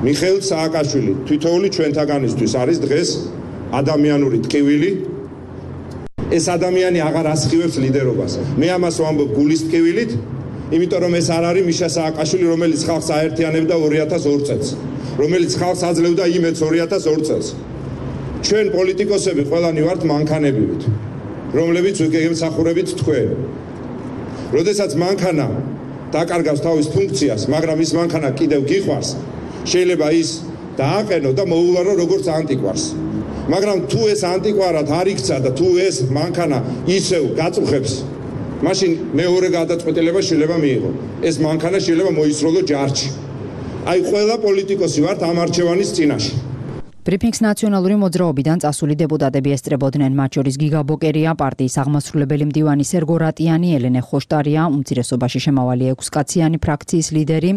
მიხეილ სააკაშვილი თითოეული ჩვენთაგანისთვის არის დღეს ადამიანური ტკივილი. ეს ადამიანი აღარ ასხივებს ლიდერობას. მე ამას ვამბობ გულის ტკივილით, იმიტომ რომ ეს არ არის მიშა სააკაშვილი, რომელიც ხალხს აერთიანებდა ორი ათას ორ წელს, რომელიც ხალხს აძლევდა იმედს ორი ათას ორ წელს. ჩვენ პოლიტიკოსები ყველანი ვართ მანქანებივით, რომლებიც ვიგებთ სახურებით თქვენ. როდესაც მანქანა დაკარგავს თავის ფუნქციას, მაგრამ ის მანქანა კიდევ გიყვარს, შეიძლება ის დააყენო და მოულარო როგორც ანტიკვარს. მაგრამ თუ ეს ანტიკვარად არ იქცა და თუ ეს მანქანა ისევ გაწუხებს, მაშინ მეორე გადაწყვეტილება შეიძლება მიიღო. ეს მანქანა შეიძლება მოისროლო ჯარში. აი ყველა პოლიტიკოსი ვართ ამ არჩევანის წინაშე. ბრიფინგს ნაციონალური მოძრაობიდან წასული დეპუტატები ესწრებოდნენ, მათ შორის გიგა ბოკერია, პარტიის აღმასრულებელი მდივანი სერგო რატიანი, ელენე ხოშტარია, უმცირესობაში შემავალი ექვსკაციანი ფრაქციის ლიდერი,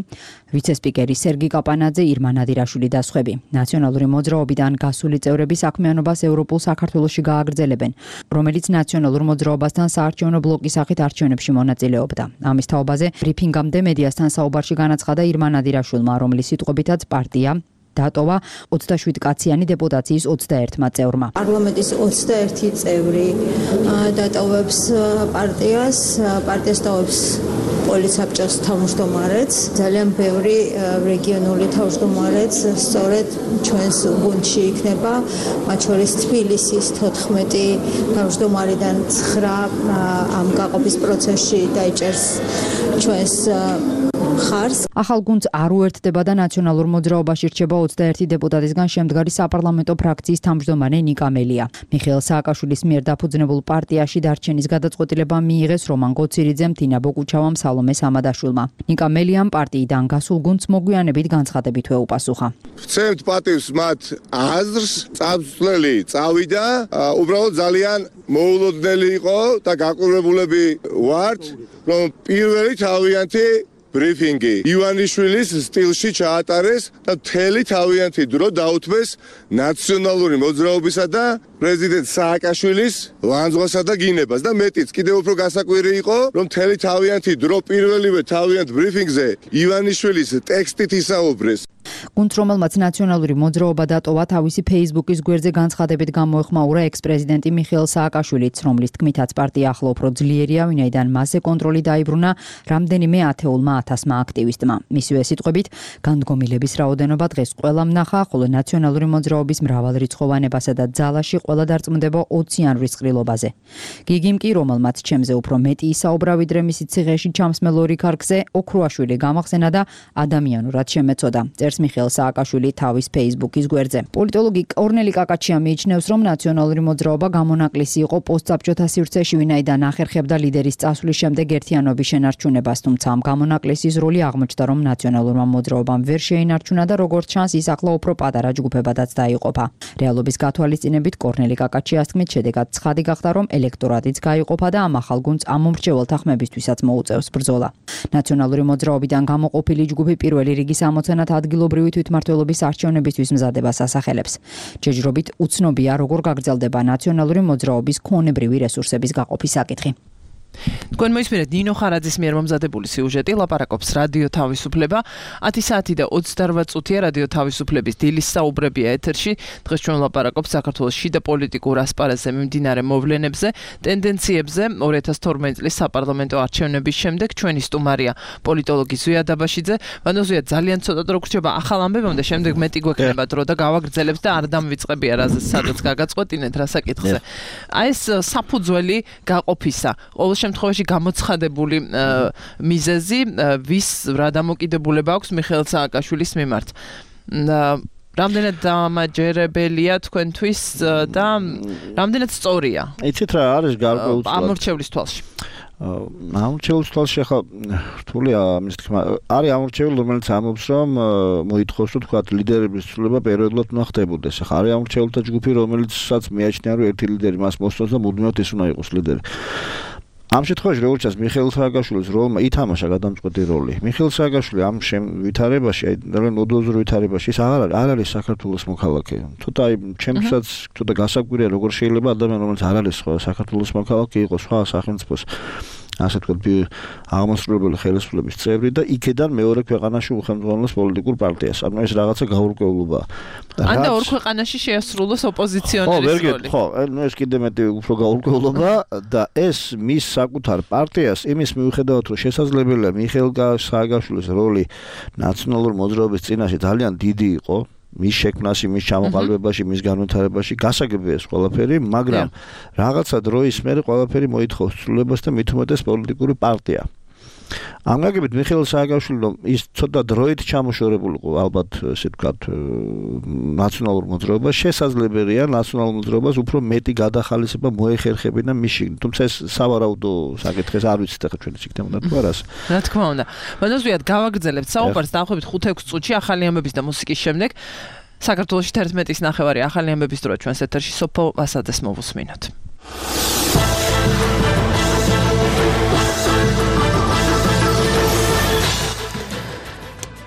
ვიცე-სპიკერი სერგი კაპანაძე, ირმა ნადირაშვილი და სხვები. ნაციონალური მოძრაობიდან გასული წევრები საქმიანობას ევროპულ საქართველოში გააგრძელებენ, რომელიც ნაციონალურ მოძრაობასთან საარჩევნო ბლოკის სახით არჩევნებში მონაწილეობდა. ამის თაობაზე ბრიფინგამდე მედიასთან საუბარში განაცხადა ირმა ნადირაშვილმა, რომლის სიტყვებითაც პარტია დატოვა ოცდაშვიდ კაციანი დეპუტაციის ოცდაერთმა წევრმა. პარლამენტის ოცდაერთი წევრი დატოვებს პარტიას, პარტიას ტოვებს პოლიცსაბჭოს თავმჯდომარეც, ძალიან ბევრი რეგიონული თავმჯდომარეც სწორედ ჩვენს გუნდში იქნება, მათ შორის თბილისის თოთხმეტი თავმჯდომარიდან ცხრა ამ გაყოფის პროცესში დაიჭერს ჩვენს ხარს. ახალ გუნდს არ უერთდება და ნაციონალურ მოძრაობაში რჩება ოცდაერთი დეპუტატისგან შემდგარი საპარლამენტო ფრაქციის თავმჯდომარე ნიკა მელია. მიხეილ სააკაშვილის მიერ დაფუძნებულ პარტიაში დარჩენის გადაწყვეტილება მიიღეს რომან გოცირიძემ, თინა ბოკუჩავამ, სალომე სამადაშვილმა. ნიკა მელიამ პარტიიდან გასულ გუნდს მოგვიანებით განცხადებით ვეუპასუხა. ვცემთ პატივს მათ აზრს, წამსვლელი წავიდა, უბრალოდ ძალიან მოულოდნელი იყო და გაყურებულები ვართ, რომ პირველი თავიანთი ბრიფინგი ივანიშვილის სტილში ჩაატარეს და მთელი თავიანთი დრო დაუთმეს ნაციონალური მოძრაობისა და პრეზიდენტ სააკაშვილის ლანძღვასა და გინებას და მეტიც კიდევ უფრო გასაკვირი იყო, რომ მთელი თავიანთი დრო პირველივე თავიანთ ბრიფინგზე ივანიშვილის ტექსტით ისაუბრეს. გუნდს, რომელმაც ნაციონალური მოძრაობა დატოვა, თავისი Facebook-ის გვერდზე განცხადებით გამოეხმაურა ექს-პრეზიდენტი მიხეილ სააკაშვილიც, რომლის თქმითაც პარტია ახლა უფრო ძლიერია, ვინაიდან მასზე კონტროლი დაიბრუნა რამდენიმე ათეულმა ათასმა აქტივისტმა. მისივე სიტყვებით, განდგომილების რაოდენობა დღეს ყველამ ნახა, ხოლო ნაციონალური მოძრაობის მრავალრიცხოვანებასა და ძალაში ყველა დარწმუნდება ოციან რისყრილობაზე. გიგიმ კი, რომელმაც ჩემზე უფრო მეტი ისაუბრა, ვიდრე მისი ციხეში ჩამსმელ ორი ქარგზე, ოქროაშვილი გამახსენა და ადამიანურად შემეწოდა. წერს მიხეილ სააკაშვილი თავის Facebook-ის გვერდზე. პოლიტოლოგი კორნელი კაკაჩია მიიჩნევს, რომ ნაციონალური მოძრაობა გამონაკლისი იყო პოსტსაბჭოთა სივრცეში, ვინაიდან ახერხებდა ლიდერის წასვლის შემდეგ ერთიანობის შენარჩუნებას, თუმცა ამ გამონაკლისის როლი აღმოჩნდა, რომ ნაციონალურმა მოძრაობამ ვერ შეინარჩუნა და როგორც ჩანს, ის ახლა უფრო პატარა ჯგუფებადაც დაიყოფა. რეალობის გათვალისწინებით კორნელი კაკაჩიას თქმით, შედეგად ცხადი გახდა, რომ ელექტორატიც გაიყოფა და ამ ახალ გუნდს ამომრჩეველთა ხმებისთვისაც მოუწევს ბრძოლა. ნაციონალური მოძრაობიდან გამოყოფილი ჯგუფი პირველი რიგის ამოცანად ადგილობრივი თვითმმართველობის არჩევნებისთვის მზადებას ასახელებს. ჯეჯრობით უცნობია, როგორ გაგრძელდება ნაციონალური მოძრაობის ქონებრივი რესურსების გაყოფის საკითხი. თქვენ მოისმინეთ ნინო ხარაძის მიერ მომზადებული სიუჟეტი, ლაპარაკობს რადიო თავისუფლება. ათი საათი და ოცდარვა წუთია რადიო თავისუფლების დილის საუბრებია ეთერში. დღეს ჩვენ ლაპარაკობთ საქართველოს შიდა პოლიტიკურ ასპარეზზე მიმდინარე მოვლენებზე, ტენდენციებზე. ორი ათას თორმეტი წლის საპარლამენტო არჩევნების შემდეგ ჩვენი სტუმარია პოლიტოლოგი ზვია დაბაშიძე. ვანო ზვია, ძალიან ცოტა დრო გრჩება ახალ ამბებამდე, შემდეგ მეტი გვექნება დრო და გავაგრძელებთ და არ დამვიწყებია რაზე სადაც გაგაწყვეტინეთ რა საკითხზე. აი ეს საფუძველი გაყოფისა ყოველ შემთხვევაში გამოცხადებული მიზეზი, ვის რა დამოკიდებულება აქვს მიხეილ სააკაშვილის მიმართ. რამდენად დამაჯერებელია თქვენთვის და რამდენად სწორია? იცით რა არის გარკვეულწილად ამორჩევლის თვალში. ამორჩევლის თვალში ახლა რთულია ამის თქმა. არის ამორჩეველი, რომელიც ამბობს, რომ მოითხოვს, რომ თქვა ლიდერების ცვლილება პერიოდულად უნდა ხდებოდეს. ახლა არის ამორჩეველთა ჯგუფი, რომელიცაც მიაჩნია, რომ ერთი ლიდერი მას მოსწონს და მუდმივად ის უნდა იყოს ლიდერი. ამ შემთხვევაში როგორც ჩანს, მიხეილ სააკაშვილის როლმა ითამაშა გადამწყვეტი როლი. მიხეილ სააკაშვილი ამ ვითარებაში, აი ძალიან ოდოზურ ვითარებაში ის აღარ არ არის საქართველოს მოქალაქე. თუმცა აი ჩემსაც თუნდაც გასაკვირია, როგორ შეიძლება ადამიანი, რომელიც არ არის საქართველოს მოქალაქე, იყოს სხვა სახელმწიფოს ასე ვთქვათ, აღმასრულებელი ხელისუფლების წევრი და იქედან მეორე ქვეყანაში უხელმძღვანელოს პოლიტიკურ პარტიას. ანუ ეს რაღაცა გაურკვევლობაა. ან და ორ ქვეყანაში შეასრულოს ოპოზიციონერის როლი. ხო, ანუ ეს კიდე მეტი უფრო გაურკვევლობა და ეს მის საკუთარ პარტიას იმის მიუხედავად, რომ შესაძლებელია მიხეილ სააკაშვილის როლი ნაციონალურ მოძრაობის წინაშე ძალიან დიდი იყო, მის შექმნაში, მის ჩამოყალიბებაში, მის განვითარებაში გასაგებია ეს ყველაფერი, მაგრამ რაღაცა დროის მერე ყველაფერი მოითხოვს ცვლილებას და მით უმეტეს პოლიტიკური პარტია. ამაგებით მიხეილ სააკაშვილო ის ცოტა დროით ჩამოშორებულიყო ალბათ ესე ვთქვათ ნაციონალურ მოძრაობას შესაძლებელია ნაციონალურ მოძრაობას უფრო მეტი გადახალისება მოეხერხებინა მის შიგნით თუმცა ეს სავარაუდო საკითხის არ ვიცით ახლა ჩვენ იქნება თუ არას რა თქმა უნდა მოდესვიათ გავაგრძელებთ საუბარს დაახლოებით ხუთ ექვს წუთში ახალი ამბების და მუსიკის შემდეგ საქართველოში თერთმეტის ნახევარი ახალი ამბების დროა ჩვენს ეთერში სოფო ვასაძეს მოვუსმინოთ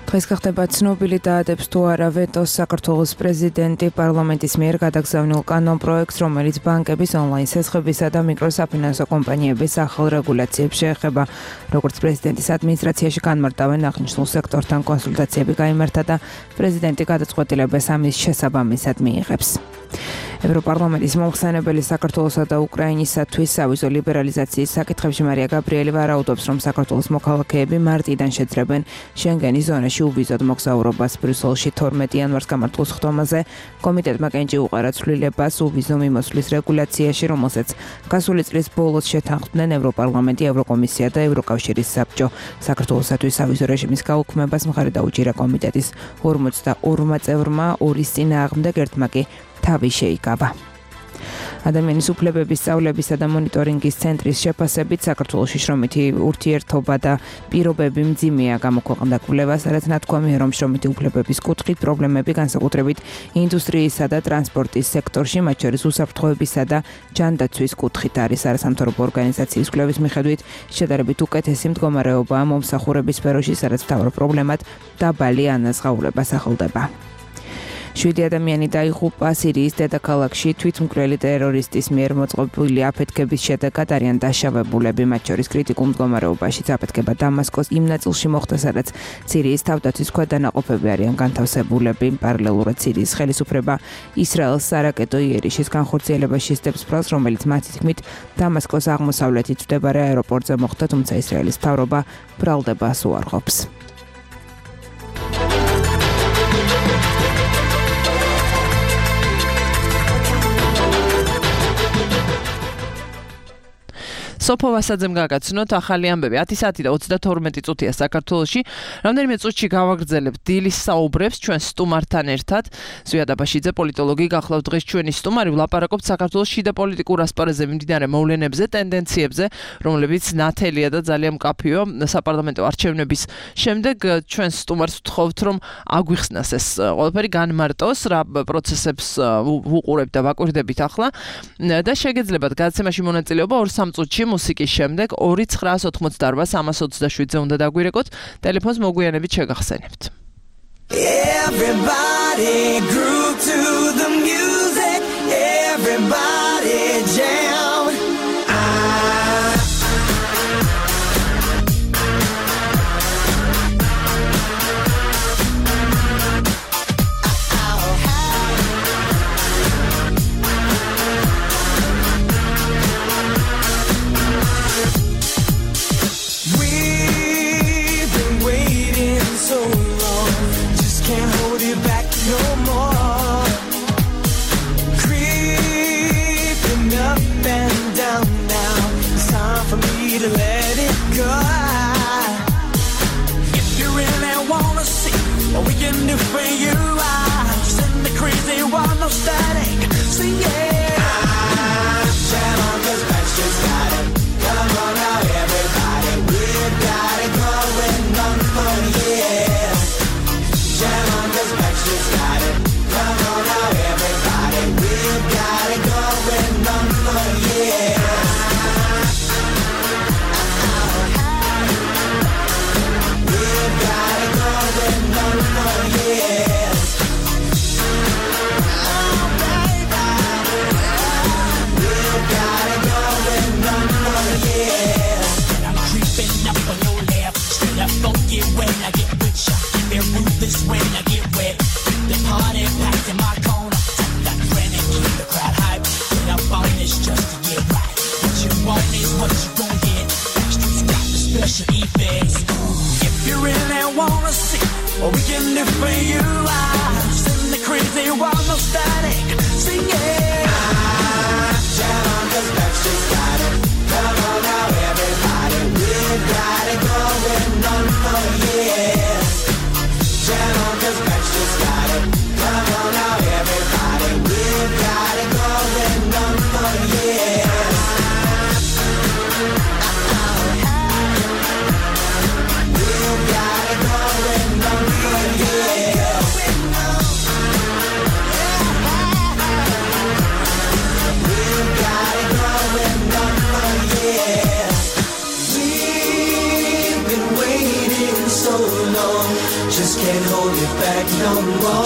დღეს გახდება ცნობილი დაადებს თუ არა ვეტოს საქართველოს პრეზიდენტი პარლამენტის მიერ გადაგზავნილ კანონპროექტს, რომელიც ბანკების ონლაინ სესხებისა და მიკროსაფინანსო კომპანიების ახალ რეგულაციებს შეეხება. როგორც პრეზიდენტის ადმინისტრაციაში განმარტავენ, აღნიშნულ სექტორთან კონსულტაციები გაიმართა და პრეზიდენტი გადაწყვეტილებას ამის შესაბამისად მიიღებს. ევროპარლამენტის მომხსენებელი საქართველოსა და უკრაინისათვის სავიზო ლიბერალიზაციის საკითხებში მარია გაბრიელი ვარაუდობს, რომ საქართველოს მოქალაქეები მარტიდან შეძლებენ შენგენის ზონაში უვიზოდ მოგზაურობას. ბრიუსელში თორმეტი იანვარს გამართულ სხდომაზე კომიტეტმა კენჭი უყარა ცვლილებას უვიზო მიმოსვლის რეგულაციაში, რომელსაც გასული წლის ბოლოს შეთანხმდნენ ევროპარლამენტი, ევროკომისია და ევროკავშირის საბჭო. საქართველოსათვის სავიზო რეჟიმის გაუქმებას მხარი დაუჭირა კომიტეტის ორმოცდაორმა წევრმა, ორის წინააღმდეგ ერთმა კი თავი შეიკავა. ადამიანის უფლებების სწავლებისა და მონიტორინგის ცენტრის შეფასებით საქართველოში შრომითი ურთიერთობა და პირობები მძიმეა გამოქვეყნდა კვლევა, სადაც ნათქვამია, რომ შრომითი უფლებების კუთხით პრობლემები განსაკუთრებით ინდუსტრიისა და ტრანსპორტის სექტორში, მათ შორის უსაფრთხოებისა და ჯანდაცვის კუთხით არის. არასამთავრობო ორგანიზაციის კვლევის მიხედვით შედარებით უკეთესი მდგომარეობაა მომსახურების სფეროში, სადაც მთავარ პრობლემად დაბალი ანაზღაურება სახელდება. შვიდი ადამიანი დაიღუპა სირიის დედაქალაქში თვითმკვლელი ტერორისტის მიერ მოწყობილი აფეთქების შედეგად არიან დაშავებულები, მათ შორის კრიტიკულ მდგომარეობაშიც აფეთქება დამასკოს იმ ნაწილში მოხდა, სადაც სირიის თავდაცვის ქვედანაყოფები არიან განთავსებულები. პარალელურად სირიის ხელისუფლება ისრაელს სარაკეტო იერიშის განხორციელებაში სდებს ფრალს, რომელიც მათი თქმით დამასკოს აღმოსავლეთით მდებარე აეროპორტზე მოხდა, თუმცა ისრაელის მთავრობა ბრალდებას უარყოფს. სოფო ვასაძემ გაგაცნოთ ახალი ამბები ათი საათი და ოცდათორმეტი წუთია საქართველოში. რამდენიმე წუთში გავაგრძელებთ დილის საუბრებს ჩვენ სტუმართან ერთად. ზვიად აბაშიძე პოლიტოლოგი გახლავთ დღეს ჩვენი სტუმარი. ვლაპარაკობთ საქართველოს შიდა პოლიტიკურ ასპარეზზე მიმდინარე მოვლენებზე, ტენდენციებზე, რომლებიც ნათელია და ძალიან მკაფიო. საპარლამენტო არჩევნების შემდეგ ჩვენ სტუმარს ვთხოვთ, რომ აგვიხსნას ეს ყველაფერი განმარტოს, რა პროცესებს ვუყურებთ და ვაკვირდებით ახლა და შეგეძლებათ გადაცემაში მონაწილეობა ორ სამ წუთში მუსიკის შემდეგ ორი ცხრაას ოცდაოთხ სამას ოცდაშვიდზე უნდა დაგვირეკოთ. ტელეფონს მოგვიანებით შეგახსენებთ. Everybody grew to the music, everybody jam. So long, just can't hold it back no more. can't hold it back no more.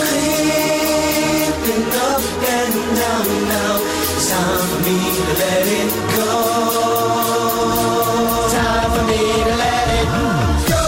Creeping up and down now. It's time for me to let it go. Time for me to let it go.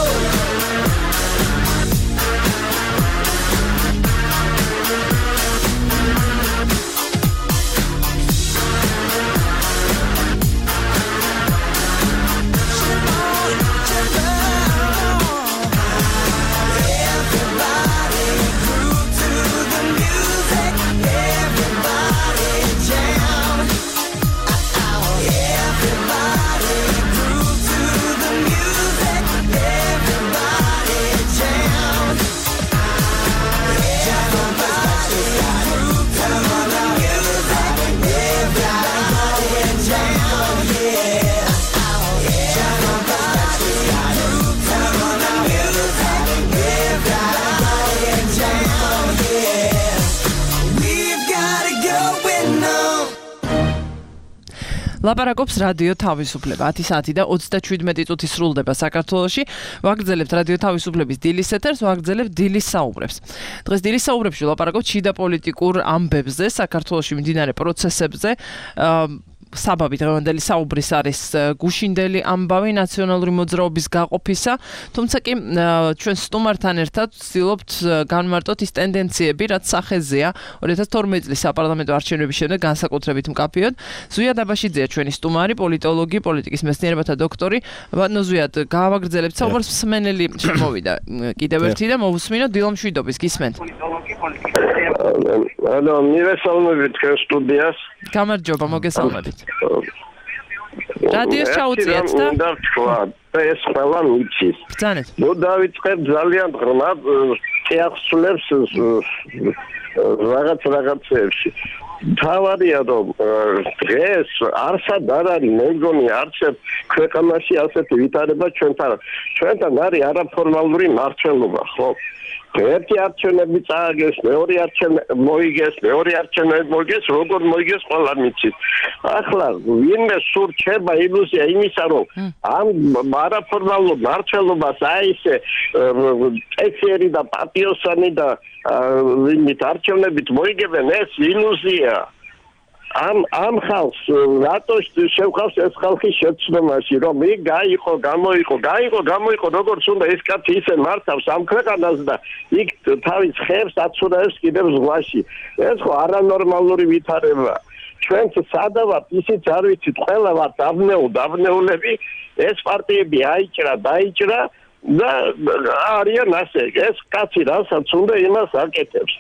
ლაპარაკობს რადიო თავისუფლება. ათი საათი და ოცდაშვიდმეტი წუთი სრულდება საქართველოში. ვაგრძელებთ რადიო თავისუფლების დილის ეთერს, ვაგრძელებთ დილის საუბრებს. დღეს დილის საუბრებში ლაპარაკობთ შიდა პოლიტიკურ ამბებზე, საქართველოში მიმდინარე პროცესებზე. საბაბი დღევანდელი საუბრის არის გუშინდელი ამბავი ნაციონალური მოძრაობის გაყოფისა, თუმცა კი ჩვენ სტუმართან ერთად ვცდილობთ განმარტოთ ის ტენდენციები, რაც სახეზეა ორი ათას თორმეტი წლის საპარლამენტო არჩევნების შემდეგ განსაკუთრებით მკაფიოდ. ზვია დაბაშიძეა ჩვენი სტუმარი, პოლიტოლოგი, პოლიტიკის მეცნიერებათა დოქტორი. ბატონო ზვია, გავაგრძელებთ საუბარს, მსმენელი შემოვიდა კიდევ ერთი და მოვუსმინოთ დილომშვიდობის, გისმენთ. ანუ მივესალმებით თქვენ სტუდიას. გამარჯობა, მოგესალმებით. რადიოს ჩაუწიეთ და უნდა თქვა, ეს ყველა მიცის. ბრძანეთ. ნუ დავიწყებ ძალიან ღრმა წიაღსულებს რაღაც რაღაცებში. თავარია რომ დღეს არსად არ არის მე მგონი არც ქვეყანაში ასეთი ვითარება ჩვენთან ჩვენთან არის არაფორმალური მართლობა, ხო? ერთი არჩევნები წააგეს, მეორე არჩევნები მოიგეს, მეორე არჩევნები მოიგეს, როგორ მოიგეს ყველა მიცით. ახლა ვინმე სულ რჩება ილუზია იმისა, რომ ამ არაფორმალურ მართლობას აი ესე ექერი და პატიოსანი და ვინმით არჩევნებით მოიგებენ, ეს ილუზია. ამ ამ ხალხს რატო შევხავს ეს ხალხი შეცდომაში, რომ იქ გაიყო, გამოიყო, გაიყო, გამოიყო, როგორც უნდა ეს კაცი ისე მართავს ამ ქვეყანას და იქ თავის ხებს აცურაებს კიდევ ზღვაში. ეს ხო არანორმალური ვითარებაა. ჩვენც სადა ვართ, ისიც არ ვიცით, ყველა ვართ დაბნეულ დაბნეულები, ეს პარტიები აიჭრა, დაიჭრა და არიან ასე. ეს კაცი რასაც უნდა იმას აკეთებს.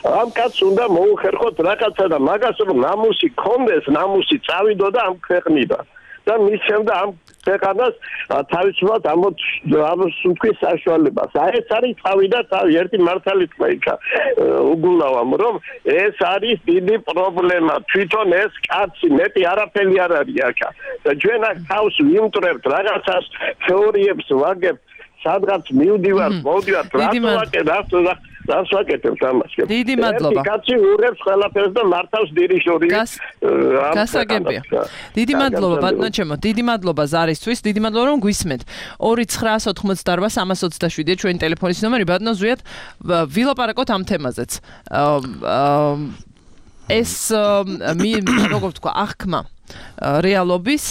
ამ კაცს უნდა მოუხერხოთ რაღაცა და მაგას რომ ნამუსი კონდეს, ნამუსი წავიდო და ამ ქვეყნიდან. და მის შემდეგ ამ ქვეყანას თავისუფლად ამოსუნთქვის საშუალებას. აი ეს არის თავი და თავი ერთი მართალი თქვა იქა უგულავამ რომ ეს არის დიდი პრობლემა. თვითონ ეს კაცი მეტი არაფერი არ არის აქა. და ჩვენ აქ თავს ვიმტრებთ რაღაცას თეორიებს ვაგებთ სადღაც მივდივართ, მოვდივართ, რატო ვაკეთებ, რატო ვაკეთებ ამას. დიდი მადლობა. კაცი ურევს ყველაფერს და მართავს დირიჟორი. გასაგებია. დიდი მადლობა ბატონო ჩემო, დიდი მადლობა ზარისთვის, დიდი მადლობა რომ გვისმენთ. ორი ცხრა ოცდაოთხმოცდაარბა სამას ოცდაშვიდი ჩვენი ტელეფონის ნომერი, ბატონო ზვიად ვილაპარაკოთ ამ თემაზეც. ეს როგორ ვთქვა, აღქმა რეალობის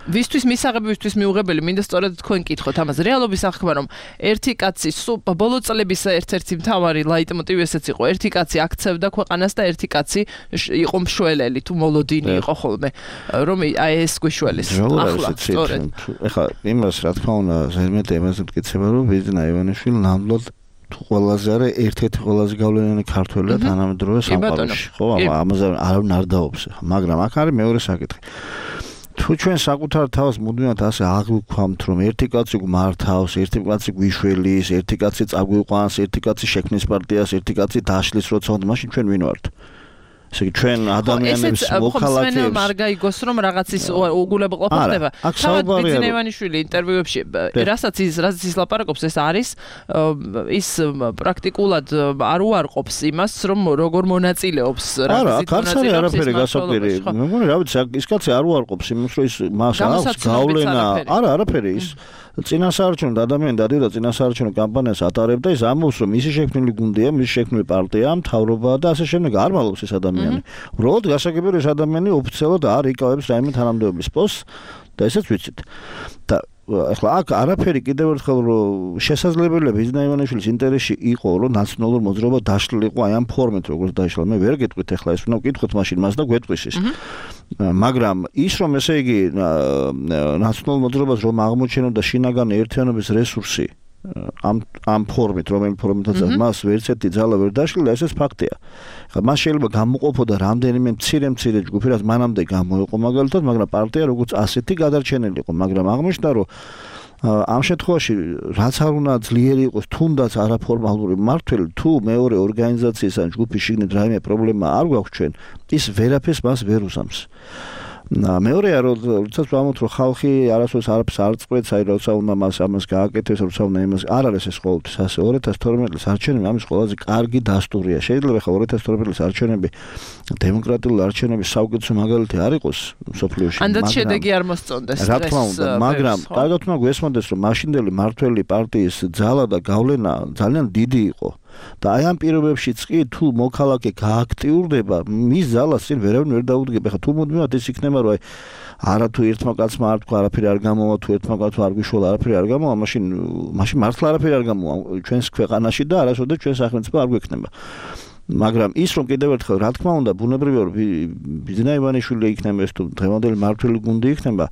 ვისთვის მისაღებისთვის მიუღებელი მინდა სწორედ თქვენ კითხოთ ამას რეალობის აღქმა რომ ერთი კაცი ბოლო წლების ერთ-ერთი მთავარი ლაიტმოტივი ესეც იყო ერთი კაცი აქცევდა ქვეყანას და ერთი კაცი იყო მშველელი თუ მოლოდინი იყო ხოლმე რომ აი ეს გვიშველეს ახლა სწორედ ეხლა იმას რა თქმა უნდა ზედმეტი იმას მტკიცება რომ ბიზნა ივანიშვილი ნამდვილად თუ ყველაზე არა ერთ-ერთი ყველაზე გავლენიანი ქართველია თანამედროვე სამყაროში ხო ამაზე არავინ არ დაობს მაგრამ აქ არის მეორე საკითხი თუ ჩვენ საკუთარ თავს მუდმივად ასე აღვქვამთ რომ ერთი კაცი გმართავს, ერთი კაცი გვიშველის, ერთი კაცი წაგვიყვანს, ერთი კაცი შექმნის პარტიას, ერთი კაცი დაშლის როცა უნდა, მაშინ ჩვენ ვინ ვართ? ესე იგი ჩვენ ადამიანების მოქალაქეებს არ გაიგოს რომ რაღაც ის უგულებელყოფა ხდება. თავად ბიძინა ივანიშვილი ინტერვიუებში რასაც ის რაც ის ლაპარაკობს ეს არის ის პრაქტიკულად არ უარყოფს იმას რომ როგორ მონაწილეობს რა არც არის არაფერი გასაკვირი. მე მგონი რა ვიცი ის კაცი არ უარყოფს იმას რომ ის მას აქვს გავლენა არა არაფერი ის წინასაარჩევნო ადამიანი დადიოდა წინასაარჩევნო კამპანიას ატარებდა ის ამბობს რომ მისი შექმნილი გუნდია მისი შექმნილი პარტია მთავრობაა და ასე შემდეგ არ მალობს ეს ადამიანი უბრალოდ გასაგებია ეს ადამიანი ოფიციალურად არ იკავებს რაიმე თანამდებობის პოსტს და ესეც ვიცით და ახლა აქ არაფერი კიდევ ერთხელ რომ შესაძლებელია ბიძინა ივანიშვილის ინტერესში იყო რომ ნაციონალურ მოძრაობა დაშლილიყო აი ამ ფორმით როგორც დაიშლა მე ვერ გეტყვით ახლა ეს უნდა ვკითხოთ მაშინ მას და გვეტყვის ის მაგრამ ის რომ ესე იგი ნაციონალურ მოძრაობას რომ აღმოჩენოდა შინაგანი ერთიანობის რესურსი ამ ამ ფორმით რომელი ფორმითაც მას ვერცერთი ძალა ვერ დაშლილა ესეც ფაქტია. ხა მას შეიძლება გამოყოფოდა რამდენიმე მცირე მცირე ჯგუფი რაც მანამდე გამოიყო მაგალითად მაგრამ პარტია როგორც ასეთი გადარჩენილი იყო მაგრამ აღმოჩნდა რომ ამ შემთხვევაში რაც არ უნდა ძლიერი იყოს თუნდაც არაფორმალური მმართველი თუ მეორე ორგანიზაციის ან ჯგუფის შიგნით რაიმე პრობლემა არ გვაქვს ჩვენ ის ვერაფერს მას ვერ უსამს. მეორეა რომ როდესაც ვამბობთ რომ ხალხი არასდროს არაფერს არ წყვეტს აი როცა უნდა მას ამას გააკეთოს როცა უნდა იმას არ არის ეს ყოველთვის ასე ორი ათას თორმეტი წლის არჩევნები ამის ყველაზე კარგი დასტურია შეიძლება ხა ორი ათას თორმეტი წლის არჩევნები დემოკრატიული არჩევნების საუკეთესო მაგალითი არ იყოს სოფლიოში მაგრამ ანდაც შედეგი არ მოსწონდეს რა თქმა უნდა მაგრამ კარგად უნდა გვესმოდეს რომ მაშინდელი მართველი პარტიის ძალა და გავლენა ძალიან დიდი იყო და აი ამ პირობებშიც კი თუ მოქალაქე გააქტიურდება მის ძალას წინ ვერავინ ვერ დაუდგება ხა თუ მუდმივად ის იქნება რომ აი არა თუ ერთმა კაცმა არ თქვა არაფერი არ გამოვა თუ ერთმა კაცმა არ გვიშველა არაფერი არ გამოვა მაშინ მაშინ მართლა არაფერი არ გამოვა ჩვენს ქვეყანაში და არასოდეს ჩვენ სახელმწიფო არ გვექნება მაგრამ ის რომ კიდევ ერთხელ რა თქმა უნდა ბუნებრივია რომ ბიძინა ივანიშვილი იქნება ეს თუ დღევანდელი მმართველი გუნდი იქნება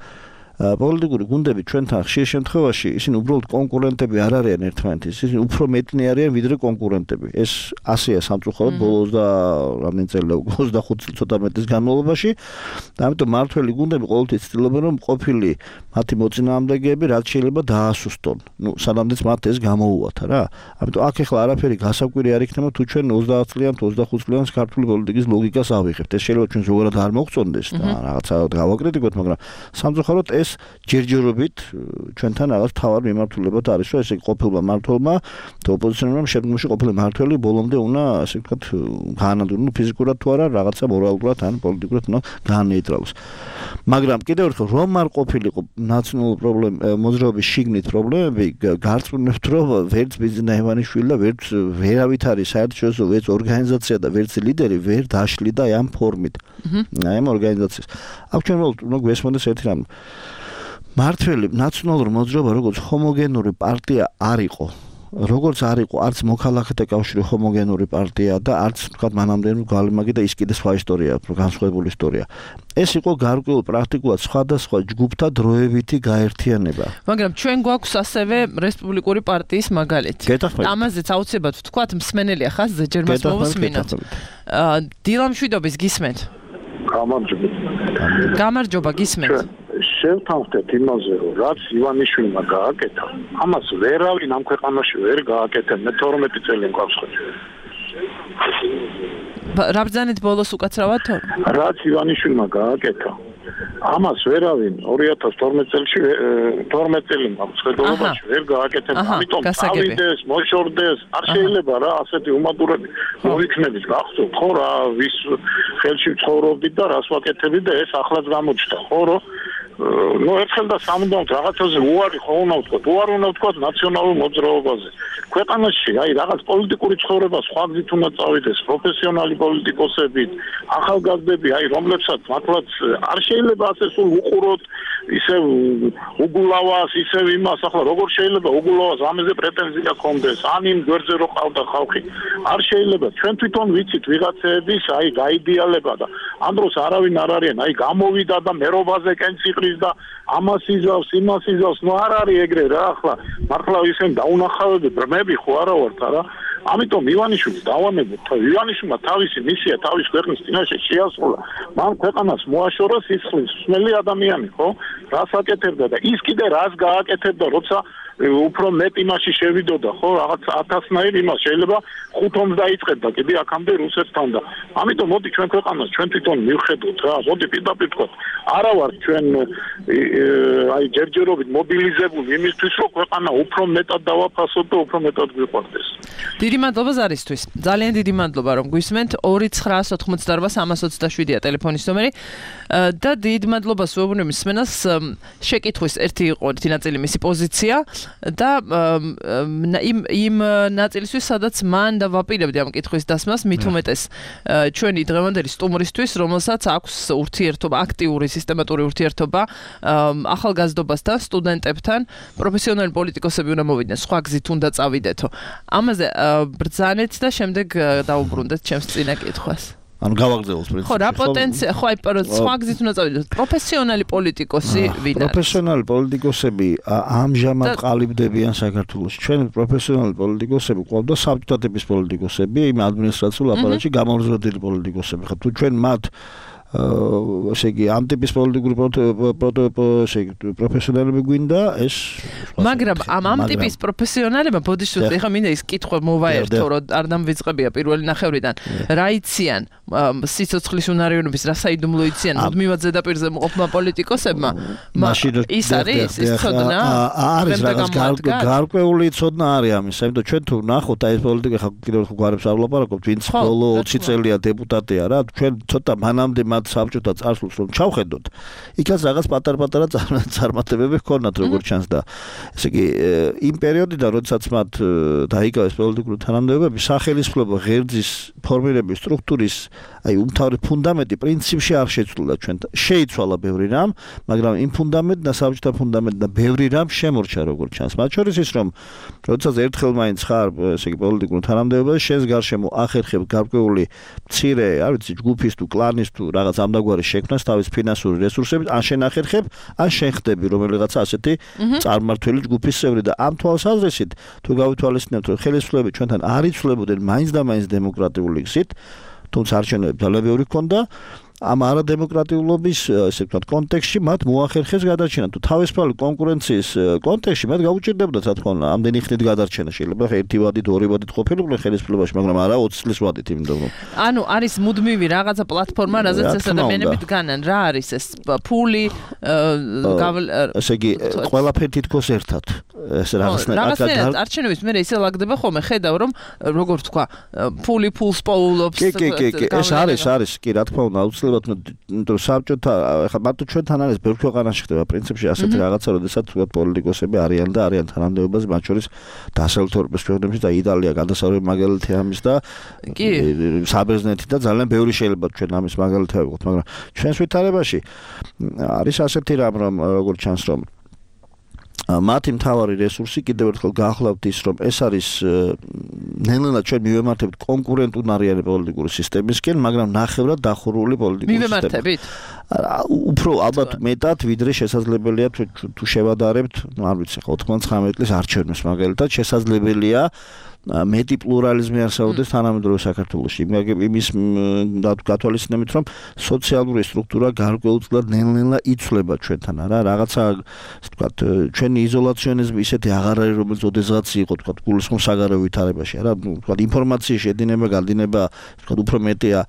პოლიტიკური გუნდები ჩვენთან ხშირ შემთხვევაში ისინი უბრალოდ კონკურენტები არ არიან ერთმანეთის ისინი უფრო მეტნი არიან ვიდრე კონკურენტები ეს ასეა სამწუხაროდ ბოლოს და რამდენი წელი ოცდახუთი წლის ცოტა მეტის განმავლობაში და ამიტომ მმართველი გუნდები ყოველთვის ცდილობენ რომ ყოფილი მათი მოწინააღმდეგეები რაც შეიძლება დაასუსტონ ნუ სანამდეც მათ ეს გამოუვათა რა ამიტომ აქ ახლა არაფერი გასაკვირი არ იქნება თუ ჩვენ ოცდაათ წლიან თუ ოცდახუთ წლიან ქართული პოლიტიკის ლოგიკას ავიღებთ ეს შეიძლება ჩვენ ზოგადად არ მოგწონდეს და რაღაცა გავაკრიტიკოთ მაგრამ სამწუხაროდ ეს ჯერჯერობით ჩვენთან რაღაც თავარ მიმართულებად არის რომ ესე ყოფილმა მმართველმა და ოპოზიციონერმა შემდგომში ყოფილი მმართველი ბოლომდე უნდა ასე ვთქვათ გაანადგურონ ფიზიკურად თუ არა რაღაცა მორალურად ან პოლიტიკურად უნდა გაანეიტრალოს მაგრამ კიდევ ერთხელ რომ არ ყოფილიყო ნაციონალური პრობლემა მოძრაობის შიგნით პრობლემები გარწმუნებთ რომ ვერც ბიძინა ივანიშვილი და ვერც ვერავით არის საერთაშორისო ვერც ორგანიზაცია და ვერც ლიდერი ვერ დაშლიდა ამ ფორმით აი ამ ორგანიზაციას აქ ჩვენ უნდა გვესმოდეს ერთი რამ მართველი ნაციონალური მოძრაობა როგორც ჰომოგენური პარტია არ იყო როგორც არ იყო არც მოქალაქეთა კავშირი ჰომოგენური პარტია და არც თქვა მანამდე გალმაგი და ის კიდე სხვა ისტორია განსხვავებული ისტორია ეს იყო გარკვეულ პრაქტიკულად სხვადასხვა ჯგუფთა დროებითი გაერთიანება მაგრამ ჩვენ გვაქვს ასევე რესპუბლიკური პარტიის მაგალითი ამაზეც აუცილებლად ვთქვათ მსმენელია ხაზზე ჯერ მას მოვუსმინოთ დილამშვიდობის გისმენთ გამარჯობა გამარჯობა გისმენთ შევთანხმდეთ იმაზე, რომ რაც ივანიშვილმა გააკეთა, ამას ვერავინ ამ ქვეყანაში ვერ გააკეთა. მე თორმეტი წელი მყავს ხო. რა ბრძანეთ ბოლოს უკაცრავად თორ? რაც ივანიშვილმა გააკეთა, ამას ვერავინ ორი ათას თორმეტი წელში თორმეტი წელი მყავს ხედულობაში ვერ გააკეთა. ამიტომ ავიდეს, მოშორდეს, არ შეიძლება რა ასეთი უმადურები მოიქნების გახსოვთ ხო რა ვის ხელში ცხოვრობდით და რას ვაკეთებდით და ეს ახლაც გამოჩნდა ხო რომ ну ერთხელ და სამუდამოდ რაღაცაზე უარი ხო უნდა ვთქვა, უარი უნდა ვთქვა ნაციონალურ მოძრაობაზე. ქვეყანაში აი რაღაც პოლიტიკური ცხოვრება სხვა გზით უნდა წავიდეს, პროფესიონალი პოლიტიკოსები, ახალგაზრდები, აი რომლებსაც მართლაც არ შეიძლება ასე სულ უყუროთ, ისე უგულავას, ისე იმას, ახლა როგორ შეიძლება უგულავას ამაზე პრეტენზია ქონდეს, ან იმ გვერდზე რო ყავდა ხალხი. არ შეიძლება, ჩვენ თვითონ ვიცით ვიღაცების აი გაიდეალება და ამ დროს არავინ არ არიან, აი გამოვიდა და მერობაზე კენს იყრის და ამას იზავს, იმას იზავს, ნუ არ არის ეგრე რა ახლა. მართლა ისენ დაუნახავები ბრმები ხო არა ვართ რა. ამიტომ ივანიშვილს დავანებოთ, ივანიშვილმა თავისი მისია თავის ქვეყნის წინაშე შეასრულა. მან ქვეყანას მოაშორა სისხლის მსმელი ადამიანი, ხო? რას აკეთებდა და ის კიდე რას გააკეთებდა, როცა უფრო მეტ იმაში შევიდოდა, ხო, რაღაც ათასნაირ იმას შეიძლება ხუთომს დაიწყებდა კიდე აქამდე რუსეთთან და ამიტომ მოდი ჩვენ ქვეყანას ჩვენ თვითონ მივხედოთ რა, მოდი პირდაპირ თქვა, არა ვარ ჩვენ აი ჯერჯერობით მობილიზებული იმისთვის რომ ქვეყანა უფრო მეტად დავაფასოთ და უფრო მეტად გვიყვარდეს. დიდი მადლობა ზარისთვის. ძალიან დიდი მადლობა რომ გვისმენთ. ორი ცხრაას ოთხმოცდაარბა სამას ოცდაშვიდია ტელეფონის ნომერი და დიდი მადლობა სუეუბნები მსმენელს. შეკითხვის ერთი იყო ერთი ნაწილი მისი პოზიცია და იმ იმ ნაწილისთვის სადაც მან და ვაპირებდი ამ კითხვის დასმას მით უმეტეს ჩვენი დღევანდელი სტუმრისთვის, რომელსაც აქვს ურთიერთობა, აქტიური სისტემატური ურთიერთობა ახალგაზრდობასთან, სტუდენტებთან, პროფესიონალი პოლიტიკოსები უნდა მოვიდნენ, სხვა გზით უნდა წავიდეთო. ამაზე ბრძანეთ და შემდეგ დაუბრუნდეთ ჩემს წინა კითხვას. ანუ გავაგრძელოთ პრინციპი. ხო, რა პოტენცია, ხო, აი სხვა გზით უნდა წავიდეთ. პროფესიონალი პოლიტიკოსი ვინ არის? პროფესიონალი პოლიტიკოსები ამჟამად ყალიბდებიან საქართველოში. ჩვენ პროფესიონალი პოლიტიკოსები ყავდა საბჭოთა ტიპის პოლიტიკოსები, იმ ადმინისტრაციულ აპარატში გამორზოდილი პოლიტიკოსები. ხო, თუ ჩვენ მათ ესე იგი ამ ტიპის პოლიტიკური პროფესიონალები გვინდა ეს მაგრამ ამ ამ ტიპის პროფესიონალებმა ბოდიშუთ ეხა მინდა ის კითხვა მოვაერთო რომ არ დამვიწყებია პირველი ნახევრიდან რა იციან სიცოცხლის უნარიანობის რა საიდუმლო იციან მუდმივად ზედაპირზე მოყოფმა პოლიტიკოსებმა ის არის ის ცოდნა არის რაღაც გარკვეული ცოდნა არის ამის ამიტომ ჩვენ თუ ნახოთ აი ეს პოლიტიკა ხა კიდევ ხო გვარებს არ ვლაპარაკობთ ვინც ბოლო ოცი წელია დეპუტატია რა ჩვენ ცოტა მანამდე მათ საბჭოთა წარსულს რომ ჩავხედოთ იქაც რაღაც პატარ-პატარა წარმატებები ჰქონდათ როგორც ჩანს და ესე იგი იმ პერიოდიდან როდესაც მათ დაიკავეს პოლიტიკური თანამდებობები სახელმწიფო ღერძის ფორმირების სტრუქტურის აი უმთავრესი ფუნდამენტი პრინციპში არ შეცვლა ჩვენ შეიცვალა ბევრი რამ მაგრამ იმ ფუნდამენტ და საბჭოთა ფუნდამენტ და ბევრი რამ შემორჩა როგორც ჩანს მათ შორის ის რომ როდესაც ერთხელ მაინც ხარ ესე იგი პოლიტიკურ თანამდებობაში შენს გარშემო ახერხებ გარკვეული მცირე არ ვიცი ჯგუფის თუ კლანის თუ რაღაც ამდაგვარი შექმნას თავის ფინანსური რესურსებით ან შენ ახერხებ ან შენ ხდები რომელიღაც ასეთი წარმმართველი ჯგუფის წევრი და ამ თვალსაზრისით თუ გავითვალისწინებთ რომ ხელისუფლება ჩვენთან არ იცვლებოდნენ მაინც და მაინც დემოკრატიული გზით თუმცა არჩევნები ძალიან ბევრი ჰქონდა ამ არადემოკრატიულობის ესე ვთქვათ კონტექსტში მათ მოახერხეს გადარჩენა თუ თავისუფალი კონკურენციის კონტექსტში მათ გაუჭირდებოდა რა თქმა უნდა ამდენი ხნით გადარჩენა შეიძლება ერთი ვადით ორი ვადით ყოფილიყვნენ ხელისუფლებაში მაგრამ არა ოცი წლის ვადით იმიტომ რომ ანუ არის მუდმივი რაღაცა პლატფორმა რაზეც ეს ადამიანები დგანან რა არის ეს ფული ესე იგი ყველაფერი თითქოს ერთად ეს რაღაცნაირად არჩევნების მერე ისე ლაგდება ხოლმე ხედავ რომ როგორ თქვა ფული ფულს პოულობს კი კი კი ეს არის არის კი რა თქმა უნდა იმიტომ საბჭოთა ხა მარტო ჩვენთან არის ბევრ ქვეყანაში ხდება პრინციპში ასეთი რაღაცა როდესაც თქვა პოლიტიკოსები არიან და არიან თანამდებობაზე მათ შორის დასავლეთ ევროპის ქვეყნებში და იტალია გადასარევი მაგალითი ამის და კი საბერძნეთი და ძალიან ბევრი შეიძლება ჩვენ ამის მაგალითი ავიღოთ მაგრამ ჩვენს ვითარებაში არის ასეთი რამ რომ როგორც ჩანს რომ მათი მთავარი რესურსი კიდევ ერთხელ გაახლავთ ის რომ ეს არის ნელ-ნელა ჩვენ მივემართებთ კონკურენტუნარიანი პოლიტიკური სისტემისკენ მაგრამ ნახევრად დახურული პოლიტიკური სისტემა მივემართებით უფრო ალბათ მეტად ვიდრე შესაძლებელია თუ შევადარებთ არ ვიცი ოთხმოცდათხამეტი წლის არჩევნებს მაგალითად შესაძლებელია მეტი პლურალიზმი არსებობდეს თანამედროვე საქართველოში იმის გათვალისწინებით რომ სოციალური სტრუქტურა გარკვეულწილად ნელ-ნელა იცვლება ჩვენთან რა რაღაცა ვთქვათ ჩვენი იზოლაციონიზმი ისეთი აღარ არის რომელიც ოდესღაც იყო ვთქვათ გულისხმობ საგარეო ვითარებაში რა ვთქვათ ინფორმაციის შედინება გადინება ვთქვათ უფრო მეტია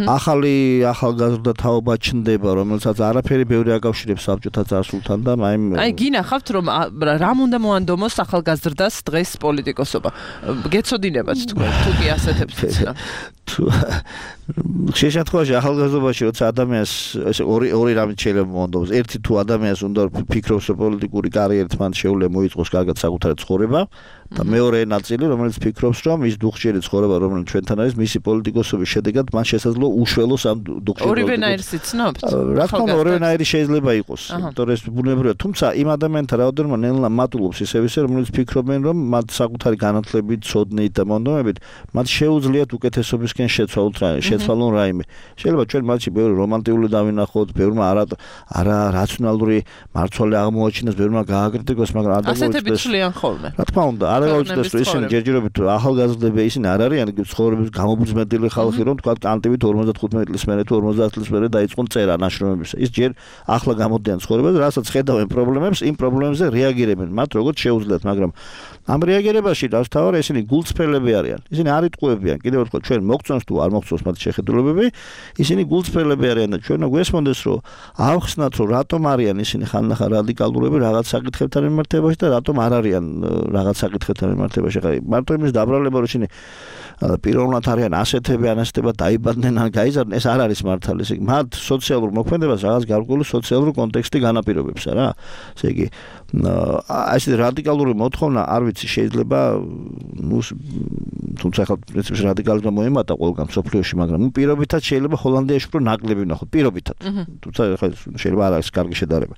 ახალი ახალგაზრდა თაობა ჩნდება რომელსაც არაფერი ბევრი აკავშირებს საბჭოთა წარსულთან და აი აი გინახავთ რომ რამ უნდა მოანდომოს ახალგაზრდას დღეს პოლიტიკოსობა გეცოდინებათ თქვენ თუ კი ასეთებს იცნა თუ შეშეთხოვაში ახალგაზრდობაში როცა ადამიანს ესე ორი ორი რამით შეიძლება მოანდომოს ერთი თუ ადამიანს უნდა ფიქრობს რომ პოლიტიკური კარიერით მან შეუძლია მოიწყოს კარგად საკუთარი ცხოვრება და მეორე ნაწილი რომელიც ფიქრობს რომ ის დუხჭიერი ცხოვრება რომელიც ჩვენთან არის მისი პოლიტიკოსობის შედეგად მან შესაძლოა უშველოს ამ დუხჭიერ ორივენაირს იცნობთ რა თქმა უნდა ორივენაირი შეიძლება იყოს იმიტომ რომ ეს ბუნებრივია თუმცა იმ ადამიანთა რაოდენობა ნელა მატულობს ისევ ისე რომელიც ფიქრობენ რომ მათ საკუთარი განათლებით ცოდნით და მონდომებით მათ შეუძლიათ უკეთესობის მათგან შეცვალოთ რა შეცვალონ რაიმე შეიძლება ჩვენ მათში ბევრი რომანტიკული დავინახოთ ბევრმა არა არა რაციონალური მარცვალი აღმოაჩინოს ბევრმა გააკრიტიკოს მაგრამ არ ასეთები ცვლიან ხოლმე რა თქმა უნდა არ გავუჩნდეს რომ ისინი ჯერჯერობით ახალგაზრდები ისინი არ არიან ცხოვრების გამობრძმედილი ხალხი რომ თქვა კანტივით ორმოცდათხუთმეტი წლის მერე თუ ორმოცდაათ წლის მერე დაიწყონ წერა ნაშრომებისა ის ჯერ ახლა გამოდიან ცხოვრებაზე რასაც ხედავენ პრობლემებს იმ პრობლემებზე რეაგირებენ მათ როგორც შეუძლიათ მაგრამ ამ რეაგირებაში დავსთავარ ისინი გულწრფელები არიან ისინი არ იტყუებიან კიდევ ერთხელ ჩვენ მოგწონს თუ არ მოგწონს მათ შეხედულებები ისინი გულწრფელები არიან და ჩვენ გვესმოდეს რომ ავხსნათ რომ რატომ არიან ისინი ხანდახან რადიკალურები რაღაც საკითხებთან მიმართებაში და რატომ არ არიან რაღაც საკითხებთან მიმართებაში ხა მარტო იმის დაბრალება რომ ისინი პიროვნულად არიან ასეთები ან ასეთება დაიბადნენ ან გაიზარდნენ ეს არ არის მართალი ესე იგი მათ სოციალურ მოქმედებას რაღაც გარკვეული სოციალური კონტექსტი განაპირობებს რა ესე იგი აი ეს რადიკალური მოთხოვნა არ ვიცი შეიძლება ნუ თუმცა ხა პრინციპში რადიკალიზმმა მოემატა ყველგან სოფლიოში მაგრამ ნუ პირობითად შეიძლება ჰოლანდიაში უფრო ნაკლები ვნახოთ პირობითად თუმცა ხა შეიძლება არ არის კარგი შედარება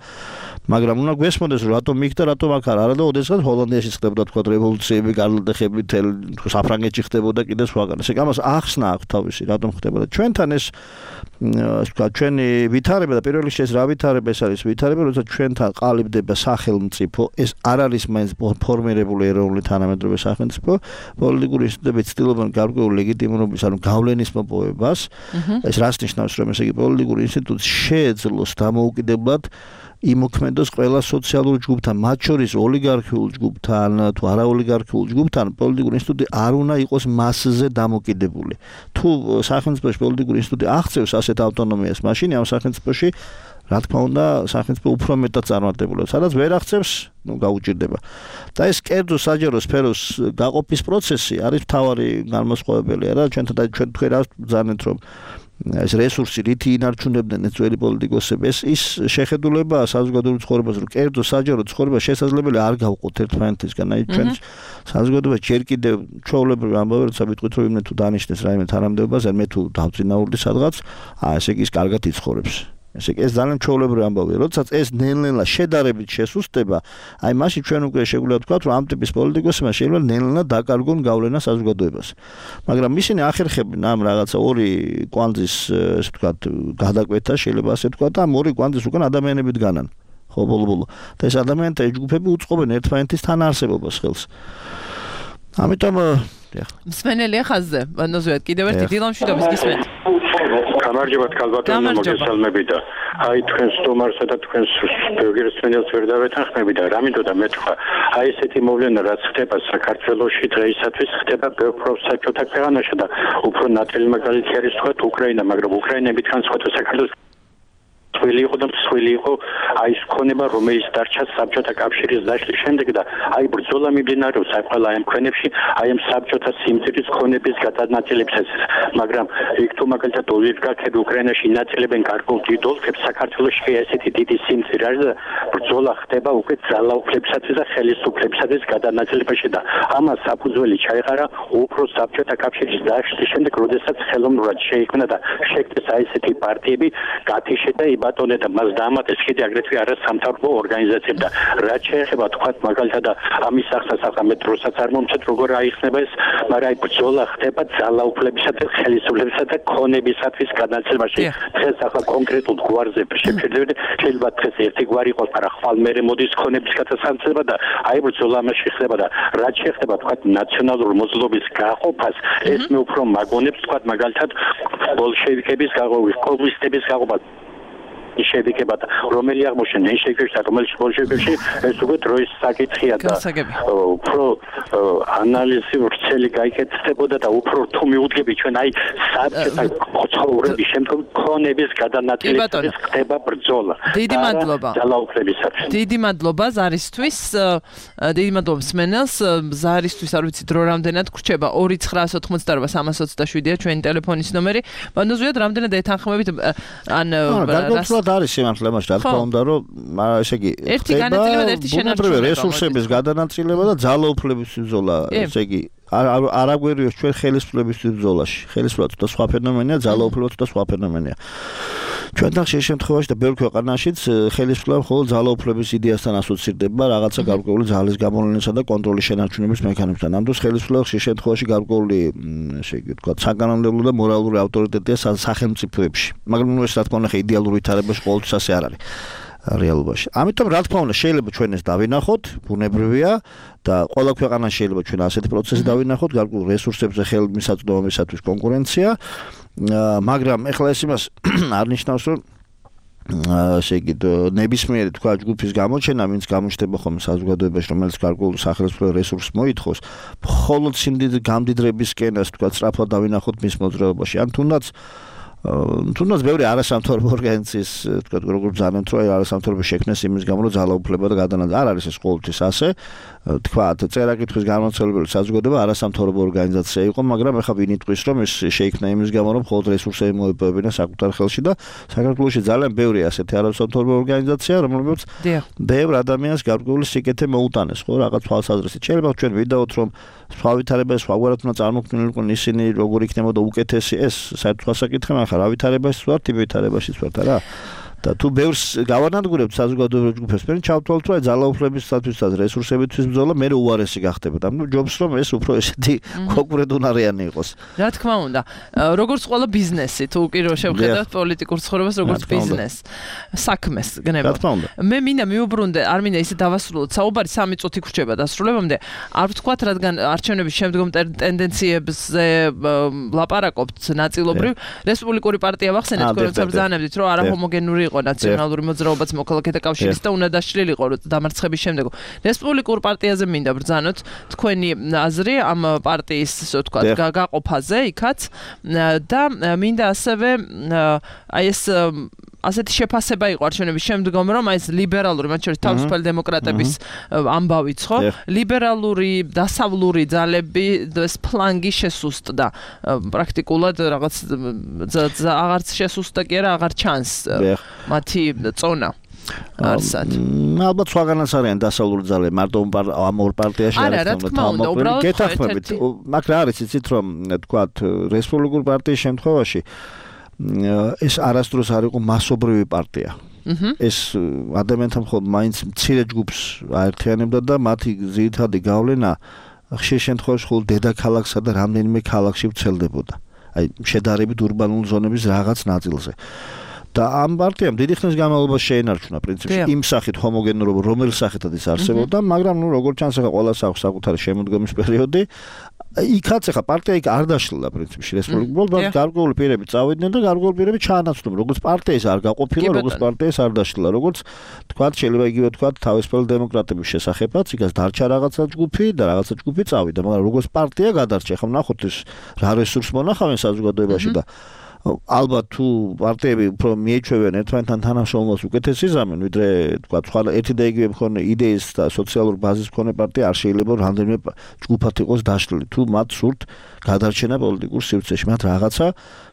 მაგრამ უნდა გვესმოდეს რომ რატომ იქ და რატომ აქ არ არა და ოდესღაც ჰოლანდიაში ხდებოდა თქვა რევოლუციები გარდახები თელ საფრანგეთში ხდებოდა კიდე სხვაგან ესე გამას ახსნა აქვს თავისი რატომ ხდებოდა ჩვენთან ეს თქვა ჩვენი ვითარება და პირველ რიგში ეს რა ვითარება ეს არის ვითარება როცა ჩვენთან ყალიბდება სახელმწიფო ეს არ არის მაინც ფორმირებული ეროვნული თანამედროვე სახელმწიფო პოლიტიკური ინსტიტუტები ცდილობენ გარკვეულ ლეგიტიმურობის ანუ გავლენის მოპოვებას ეს რას ნიშნავს რომ ესე იგი პოლიტიკური ინსტიტუტი შეეძლოს დამოუკიდებლად იმოქმედოს ყველა სოციალურ ჯგუფთან, მათ შორის ოლიგარქიულ ჯგუფთან, თუ არაოლიგარქიულ ჯგუფთან, პოლიტიკური ინსტიტუტი არ უნდა იყოს მასზე დამოკიდებული. თუ სახელმწიფოში პოლიტიკური ინსტიტუტი აღწევს ასეთ ავტონომიას, მაშინ ამ სახელმწიფოში რა თქმა უნდა, სახელმწიფო უფრო მეტად წარმატებულა. სადაც ვერ აღწევს, ну, გაუჭირდება. და ეს კერძო საჯარო სფეროს გაყოფის პროცესი არის მთავარი განმასხვავებელი, რა, ჩვენთან და ჩვენ თქვენ რა ბრძანეთ, რომ ეს რესურსი რითი ინარჩუნებდნენ ეს ძველი პოლიტიკოსები ეს ის შეხედულება საზოგადოებრივ ცხოვრებას რომ კერძო საჯარო ცხოვრება შესაძლებელი არ გავყოთ ერთმანეთისგან აი ჩვენ საზოგადოება ჯერ კიდევ ჩვეულებრივ ამბავი როცა ვიტყვით რომ იმენ თუ დანიშნეს რაიმე თანამდებობაზე მე თუ დავწინაურდი სადღაც აა ესე იგი ის კარგად იცხოვრებს ესე იგი ეს ძალიან ჩვეულებრივი ამბავია როდესაც ეს ნელ-ნელა შედარებით შესუსტება აი მაშინ ჩვენ უკვე შეგვიძლია ვთქვათ რომ ამ ტიპის პოლიტიკოსებმა შეიძლება ნელ-ნელა დაკარგონ გავლენა საზოგადოებას მაგრამ ისინი ახერხებენ ამ რაღაცა ორი კვანძის ესე ვთქვათ გადაკვეთა შეიძლება ასე ვთქვათ ამ ორი კვანძის უკან ადამიანებით განან ხო ბოლო-ბოლო და ეს ადამიანთა ჯგუფები უწყობენ ერთმანეთის თანაარსებობას ხელს ამიტომ მსმენელია ხაზზე ბანოზუეთ კიდევ ერთი დილამშვიდობის გისმენთ გამარჯობათ კალბატონო მოგესალმები და აი თქვენ სტუმარსა და თქვენ ბიოგრაფიას ვერ დავეთანხმები და რა მინდოდა მეთქვა აი ესეთი მოვლენა რაც ხდება საქართველოში დღეისათვის ხდება პროფსაჯოთა ქვეყანაში და უფრო ნათელი მაგალითი არის თქვა უკრაინა მაგრამ უკრაინები თან სხვა საქართველოს სველი იყო და სველი იყო აი ეს ქონება რომელიც დარჩა საბჭოთა კავშირის დაშლის შემდეგ და აი ბრძოლა მიმდინარეობს აი ყველა ამ ქვეყნებში აი ამ საბჭოთა სიმწირის ქონების გადანაწილებისას მაგრამ იქ თუ მაგალითად ოლიგარქები უკრაინაში ინაწილებენ გარკვეულ დიდ ოლქებს საქართველოში ესეთი დიდი სიმწირი არის და ბრძოლა ხდება უკვე ძალაუფლებისათვის და ხელისუფლებისათვის გადანაწილებაში და ამას საფუძველი ჩაეყარა უფრო საბჭოთა კავშირის დაშლის შემდეგ როდესაც ხელოვნურად შეიქმნა და შექმნეს აი ესეთი პარტიები გათიშე და ბატონე და მას დაამატეს კიდე აგრეთვე არა სამთავრობო ორგანიზაციები და რაც შეეხება თქვა მაგალითად ამის ახსნას ახლა მეტროსაც არ მომწეთ როგორ აიხსნება ეს მაგრამ აი ბრძოლა ხდება ძალაუფლებისა და ხელისუფლებისა და ქონებისათვის განაცემაში დღეს ახლა კონკრეტულ გვარზე შეფერდები შეიძლება დღეს ერთი გვარი იყოს მაგრამ ხვალ მერე მოდის ქონების გადასამცება და აი ბრძოლა ამაში ხდება და რაც შეეხება თქვა ნაციონალური მოძრაობის გაყოფას ეს მე უფრო მაგონებს თქვა მაგალითად ბოლშევიკების გაყოფის კომუნისტების გაყოფას შეებიკება და რომელი აღმოჩნდა ნეშეკერში და რომელიც ბოლშევიკებში ეს უკვე დროის საკითხია და უფრო ანალიზი ვრცელი გაიკეთებოდა და უფრო თუ მიუდგები ჩვენ აი საბჭოთა ცხოვრების შემდგომ ქონების გადანაწილების ხდება ბრძოლა დიდი მადლობა ძალაუფლებისათვის დიდი მადლობა ზარისთვის დიდი მადლობა მსმენელს ზარისთვის არ ვიცი დრო რამდენად გრჩება ორი ცხრაას ოთხმოცდაოთხ სამას ოცდაშვიდია ჩვენი ტელეფონის ნომერი ბანოზუიად რამდენად ეთანხმებით ან არის სიმართლე მას რა თქმა უნდა რომ ესე იგი ერთი განაწილება და ერთი შენარჩუნება რესურსების გადანაწილება და ძალაუფლების ბრძოლა ესე იგი არ აგვერიოს ჩვენ ხელისუფლების ბრძოლაში ხელისუფლება თუ და სხვა ფენომენია ძალაუფლება თუ და სხვა ფენომენია ჩვენთან შე შემთხვევაში და ბევრ ქვეყანაშიც ხელისუფლება მხოლოდ ძალაუფლების იდეასთან ასოცირდება რაღაცა გარკვეული ძალის გამოვლენისა და კონტროლის შენარჩუნების მექანიზმთან. ამ დროს ხელისუფლება შე შემთხვევაში გარკვეული ესე იგი თქვა საკანონმდებლო და მორალური ავტორიტეტია სახელმწიფოებში. მაგრამ ნუ ეს რა თქმა უნდა იდეალურ ვითარებაში ყოველთვის ასე არ არის. რეალობაში. ამიტომ რა თქმა უნდა შეიძლება ჩვენ ეს დავინახოთ, ბუნებრივია და ყველა ქვეყანაში შეიძლება ჩვენ ასეთი პროცესი დავინახოთ, გარკვეულ რესურსებზე ხელმისაწვდომობისათვის კონკურენცია, მაგრამ ეხლა ეს იმას არ ნიშნავს, რომ ასე იგი ნებისმიერი თქვა ჯგუფის გამოჩენა, ვინც გამოჩნდება ხოლმე საზოგადოებაში, რომელიც გარკვეულ სახელმწიფო რესურსს მოითხოვს, მხოლოდ სიმდიდრე გამდიდრების სკენას თქვა სწრაფად დავინახოთ მის მოძრაობაში. ან თუნდაც თუნდაც ბევრი არასამთავრობო ორგანიზაციის თქვა როგორ ბრძანებთ რომ არასამთავრობო შექმნეს იმის გამო რომ ძალაუფლება და გადანაწილება არ არის ეს ყოველთვის ასე თქვა წერა-კითხვის განმაცემებელი საზოგადოება არასამთავრობო ორგანიზაცია იყო მაგრამ ეხლა ვინ იტყვის რომ ეს შეიქმნა იმის გამო რომ მხოლოდ რესურსები მოიპოვებინა საკუთარ ხელში და საქართველოში ძალიან ბევრი ასეთი არასამთავრობო ორგანიზაცია რომლებიც ბევრ ადამიანს გარკვეული სიკეთე მოუტანეს ხო რაღაც თვალსაზრისით შეიძლება ჩვენ ვიდაოთ რომ სხვა ვითარებას სხვაგვარად უნდა წარმოქმნილიყო ისინი როგორ იქნებოდა უკეთესი ეს საერთოდ საკითხი მაგრამ რა ვითარებაში ვართ იმ ვითარებაშიც ვართ არა და თუ ბევრს გავანადგურებთ საზოგადოებრივ ჯგუფებს მე ჩავთვალოთ რომ ძალაუფლებისათვის და რესურსებისთვის ბრძოლა მე უარესი გახდებოდა ანუ ჯობს რომ ეს უფრო ესეთი კონკურენტუნარიანი იყოს რა თქმა უნდა როგორც ყველა ბიზნესი თუ კი რო შევხედავთ პოლიტიკურ ცხოვრებას როგორც ბიზნეს საქმეს გნებავთ მე მინდა მიუბრუნდე არ მინდა ისე დავასრულოთ საუბარი სამი წუთი გრჩება დასრულებამდე არ ვთქვათ რადგან არჩევნების შემდგომ ტენდენციებზე ლაპარაკობთ ნაწილობრივ რესპუბლიკური პარტია ვახსენეთ თქვენ როცა ბრძანებდით რომ არაჰომოგენური იყო ნაციონალური მოძრაობაც მოქალაქეთა კავშირის და უნდა დაშლილიყო დამარცხების შემდეგ. რესპუბლიკურ პარტიაზე მინდა ბრძანოთ თქვენი აზრი ამ პარტიის ასე ვთქვათ გაყოფაზე იქაც და მინდა ასევე აი ეს ასეთი შეფასება იყო არჩევნების შემდგომ რომ აი ეს ლიბერალური მათ შორის თავისუფალი დემოკრატების ამბავიც ხო ლიბერალური დასავლური ძალები ეს ფლანგი შესუსტდა პრაქტიკულად რაღაც აღარც შესუსტდა კი არა აღარ ჩანს მათი წონა არსად. ალბათ სხვაგანაც არიან დასავლური ძალები მარტო ამ ორ პარტიაში არის თამბობილი გეთახმებით მაგრამ არის იცით რომ თქვათ რესპუბლიკურ პარტიის შემთხვევაში ეს არასდროს არ იყო მასობრივი პარტია. ეს ადამიანთა მხოლოდ მაინც მცირე ჯგუფს აერთიანებდა და მათი ძირითადი გავლენა ხშირ შემთხვევაში მხოლოდ დედაქალაქსა და რამდენიმე ქალაქში ვრცელდებოდა. აი შედარებით ურბანულ ზონების რაღაც ნაწილზე. და ამ პარტიამ დიდი ხნის განმავლობაში შეენარჩუნა პრინციპში იმ სახით ჰომოგენურობა რომელი სახითაც ის არსებობდა, მაგრამ ნუ როგორც ჩანს ახლა ყველას აქვს საკუთარი შემოდგომის პერიოდი. იქაც ახლა პარტია იქ არ დაშლილდა პრინციპში რესპუბლიკურ ბოლოს გარკვეული პირები წავიდნენ და გარკვეული პირები ჩაანაცვლებდნენ როგორც პარტიის არ გაყოფილა როგორც პარტიის არ დაშლილდა როგორც თქვათ შეიძლება იგივე თქვათ თავისუფალი დემოკრატების შესახებაც იქაც დარჩა რაღაცა ჯგუფი და რაღაცა ჯგუფი წავიდა მაგრამ როგორც პარტია გადარჩა ახლა ნახოთ ეს რა რესურს მონახავენ საზოგადოებაში და ალბათ თუ პარტიები უფრო მიეჩვევენ ერთმანეთთან თანამშრომლობას უკეთეს იზამენ ვიდრე თქვა სხვა ერთი და იგივე მქონე იდეის და სოციალურ ბაზის მქონე პარტია არ შეიძლება რამდენიმე ჯგუფად იყოს დაშლილი თუ მათ სურთ გადარჩენა პოლიტიკურ სივრცეში მათ რაღაცა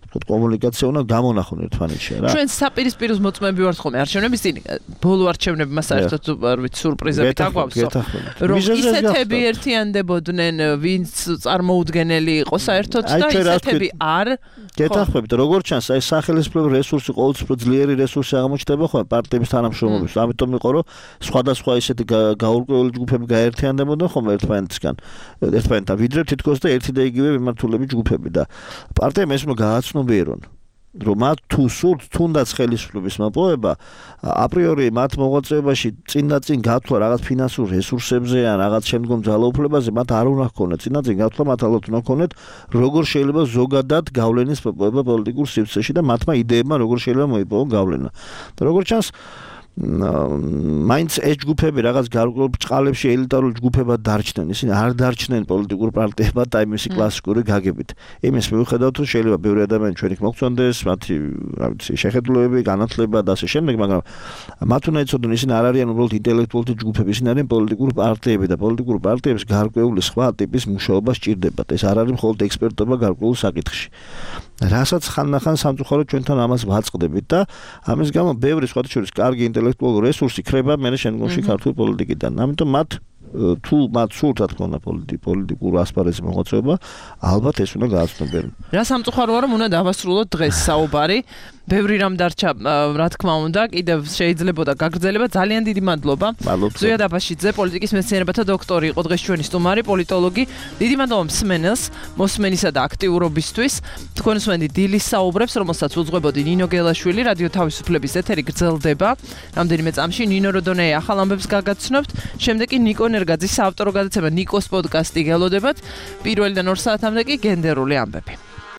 კომუნიკაცია უნდა გამონახონ ერთმანეთში რა ჩვენ საპირისპიროს მოწმეები ვართ ხოლმე არჩევნების წინ ბოლო არჩევნებმა საერთოდ ვით სურპრიზები დაგვავსო რომ ისეთები ერთიანდებოდნენ ვინც წარმოუდგენელი იყო საერთოდ და ისეთები არ გეთახმებით როგორც ჩანს აი სახელმწიფო რესურსი ყოველთვის უფრო ძლიერი რესურსი აღმოჩნდება ხოლმე პარტიების თანამშრომლობის ამიტომ იყო რომ სხვადასხვა ისეთი გაურკვეველი ჯგუფები გაერთიანდებოდნენ ხოლმე ერთმანეთისგან ერთმანეთთან ვიდრე თითქოს და ერთი და იგივე მიმართულები ჯგუფები და პარტიამ ეს უნდა გააცნობიერონ რომ მათ თუ სურთ თუნდაც ხელისუფლების მოპოვება აპრიორი მათ მოღვაწეობაში წინ და წინ გათვლა რაღაც ფინანსურ რესურსებზე ან რაღაც შემდგომ ძალაუფლებაზე მათ არ უნდა ჰქონდეთ წინ და წინ გათვლა მათ ალბათ უნდა ჰქონდეთ როგორ შეიძლება ზოგადად გავლენის მოპოვება პოლიტიკურ სივრცეში და მათმა იდეებმა როგორ შეიძლება მოიპოვონ გავლენა და როგორც ჩანს მაინც ეს ჯგუფები რაღაც გარკვეულ ბრწყალებში ელიტარულ ჯგუფებად დარჩნენ ისინი არ დარჩნენ პოლიტიკურ პარტიებად და იმისი კლასიკური გაგებით იმის მიუხედავად რომ შეიძლება ბევრი ადამიანი ჩვენ იქ მოგწონდეს მათი რა ვიცი შეხედულებები განათლება და ასე შემდეგ მაგრამ მათ უნდა იცოდონ ისინი არ არიან უბრალოდ ინტელექტუალთა ჯგუფები ისინი არიან პოლიტიკური პარტიები და პოლიტიკური პარტიებს გარკვეული სხვა ტიპის მუშაობა სჭირდებათ ეს არ არის მხოლოდ ექსპერტობა გარკვეულ საკითხში რასაც ხანდახან სამწუხაროდ ჩვენთან ამას ვაწყდებით და ამის გამო ბევრი სხვათა შორის კარგი ინტელექტუალური რესურსი ხრება მე შემდგომში ქართულ პოლიტიკიდან. ამიტომ მათ თუ მათ სურთ რა თქმა უნდა პოლიტიკურ ასპარეზზე მოღვაწეობა, ალბათ ეს უნდა გააცნობიერონ. რა სამწუხაროა რომ უნდა დავასრულოთ დღეს საუბარი ბევრი რამ დარჩა, რა თქმა უნდა, კიდევ შეიძლებოდა გაგრძელება. ძალიან დიდი მადლობა. ზოია დაბაშიძე, პოლიტიკის მეცნიერებათა დოქტორი იყო დღეს ჩვენი სტუმარი, პოლიტოლოგი. დიდი მადლობა მსმენელს, მოსმენისა და აქტიურობისთვის. თქვენ უსმენთ დილის საუბრებს, რომელსაც უძღვებოდი ნინო გელაშვილი, რადიო თავისუფლების ეთერი გრძელდება. რამდენიმე წამში ნინო როდონეი ახალ ამბებს გაგაცნობთ. შემდეგ კი ნიკო ნერგაძის საავტორო გადაცემა ნიკოს პოდკასტი გელოდებათ. პირველიდან ორ საათამდე კი გენდერული ამბები.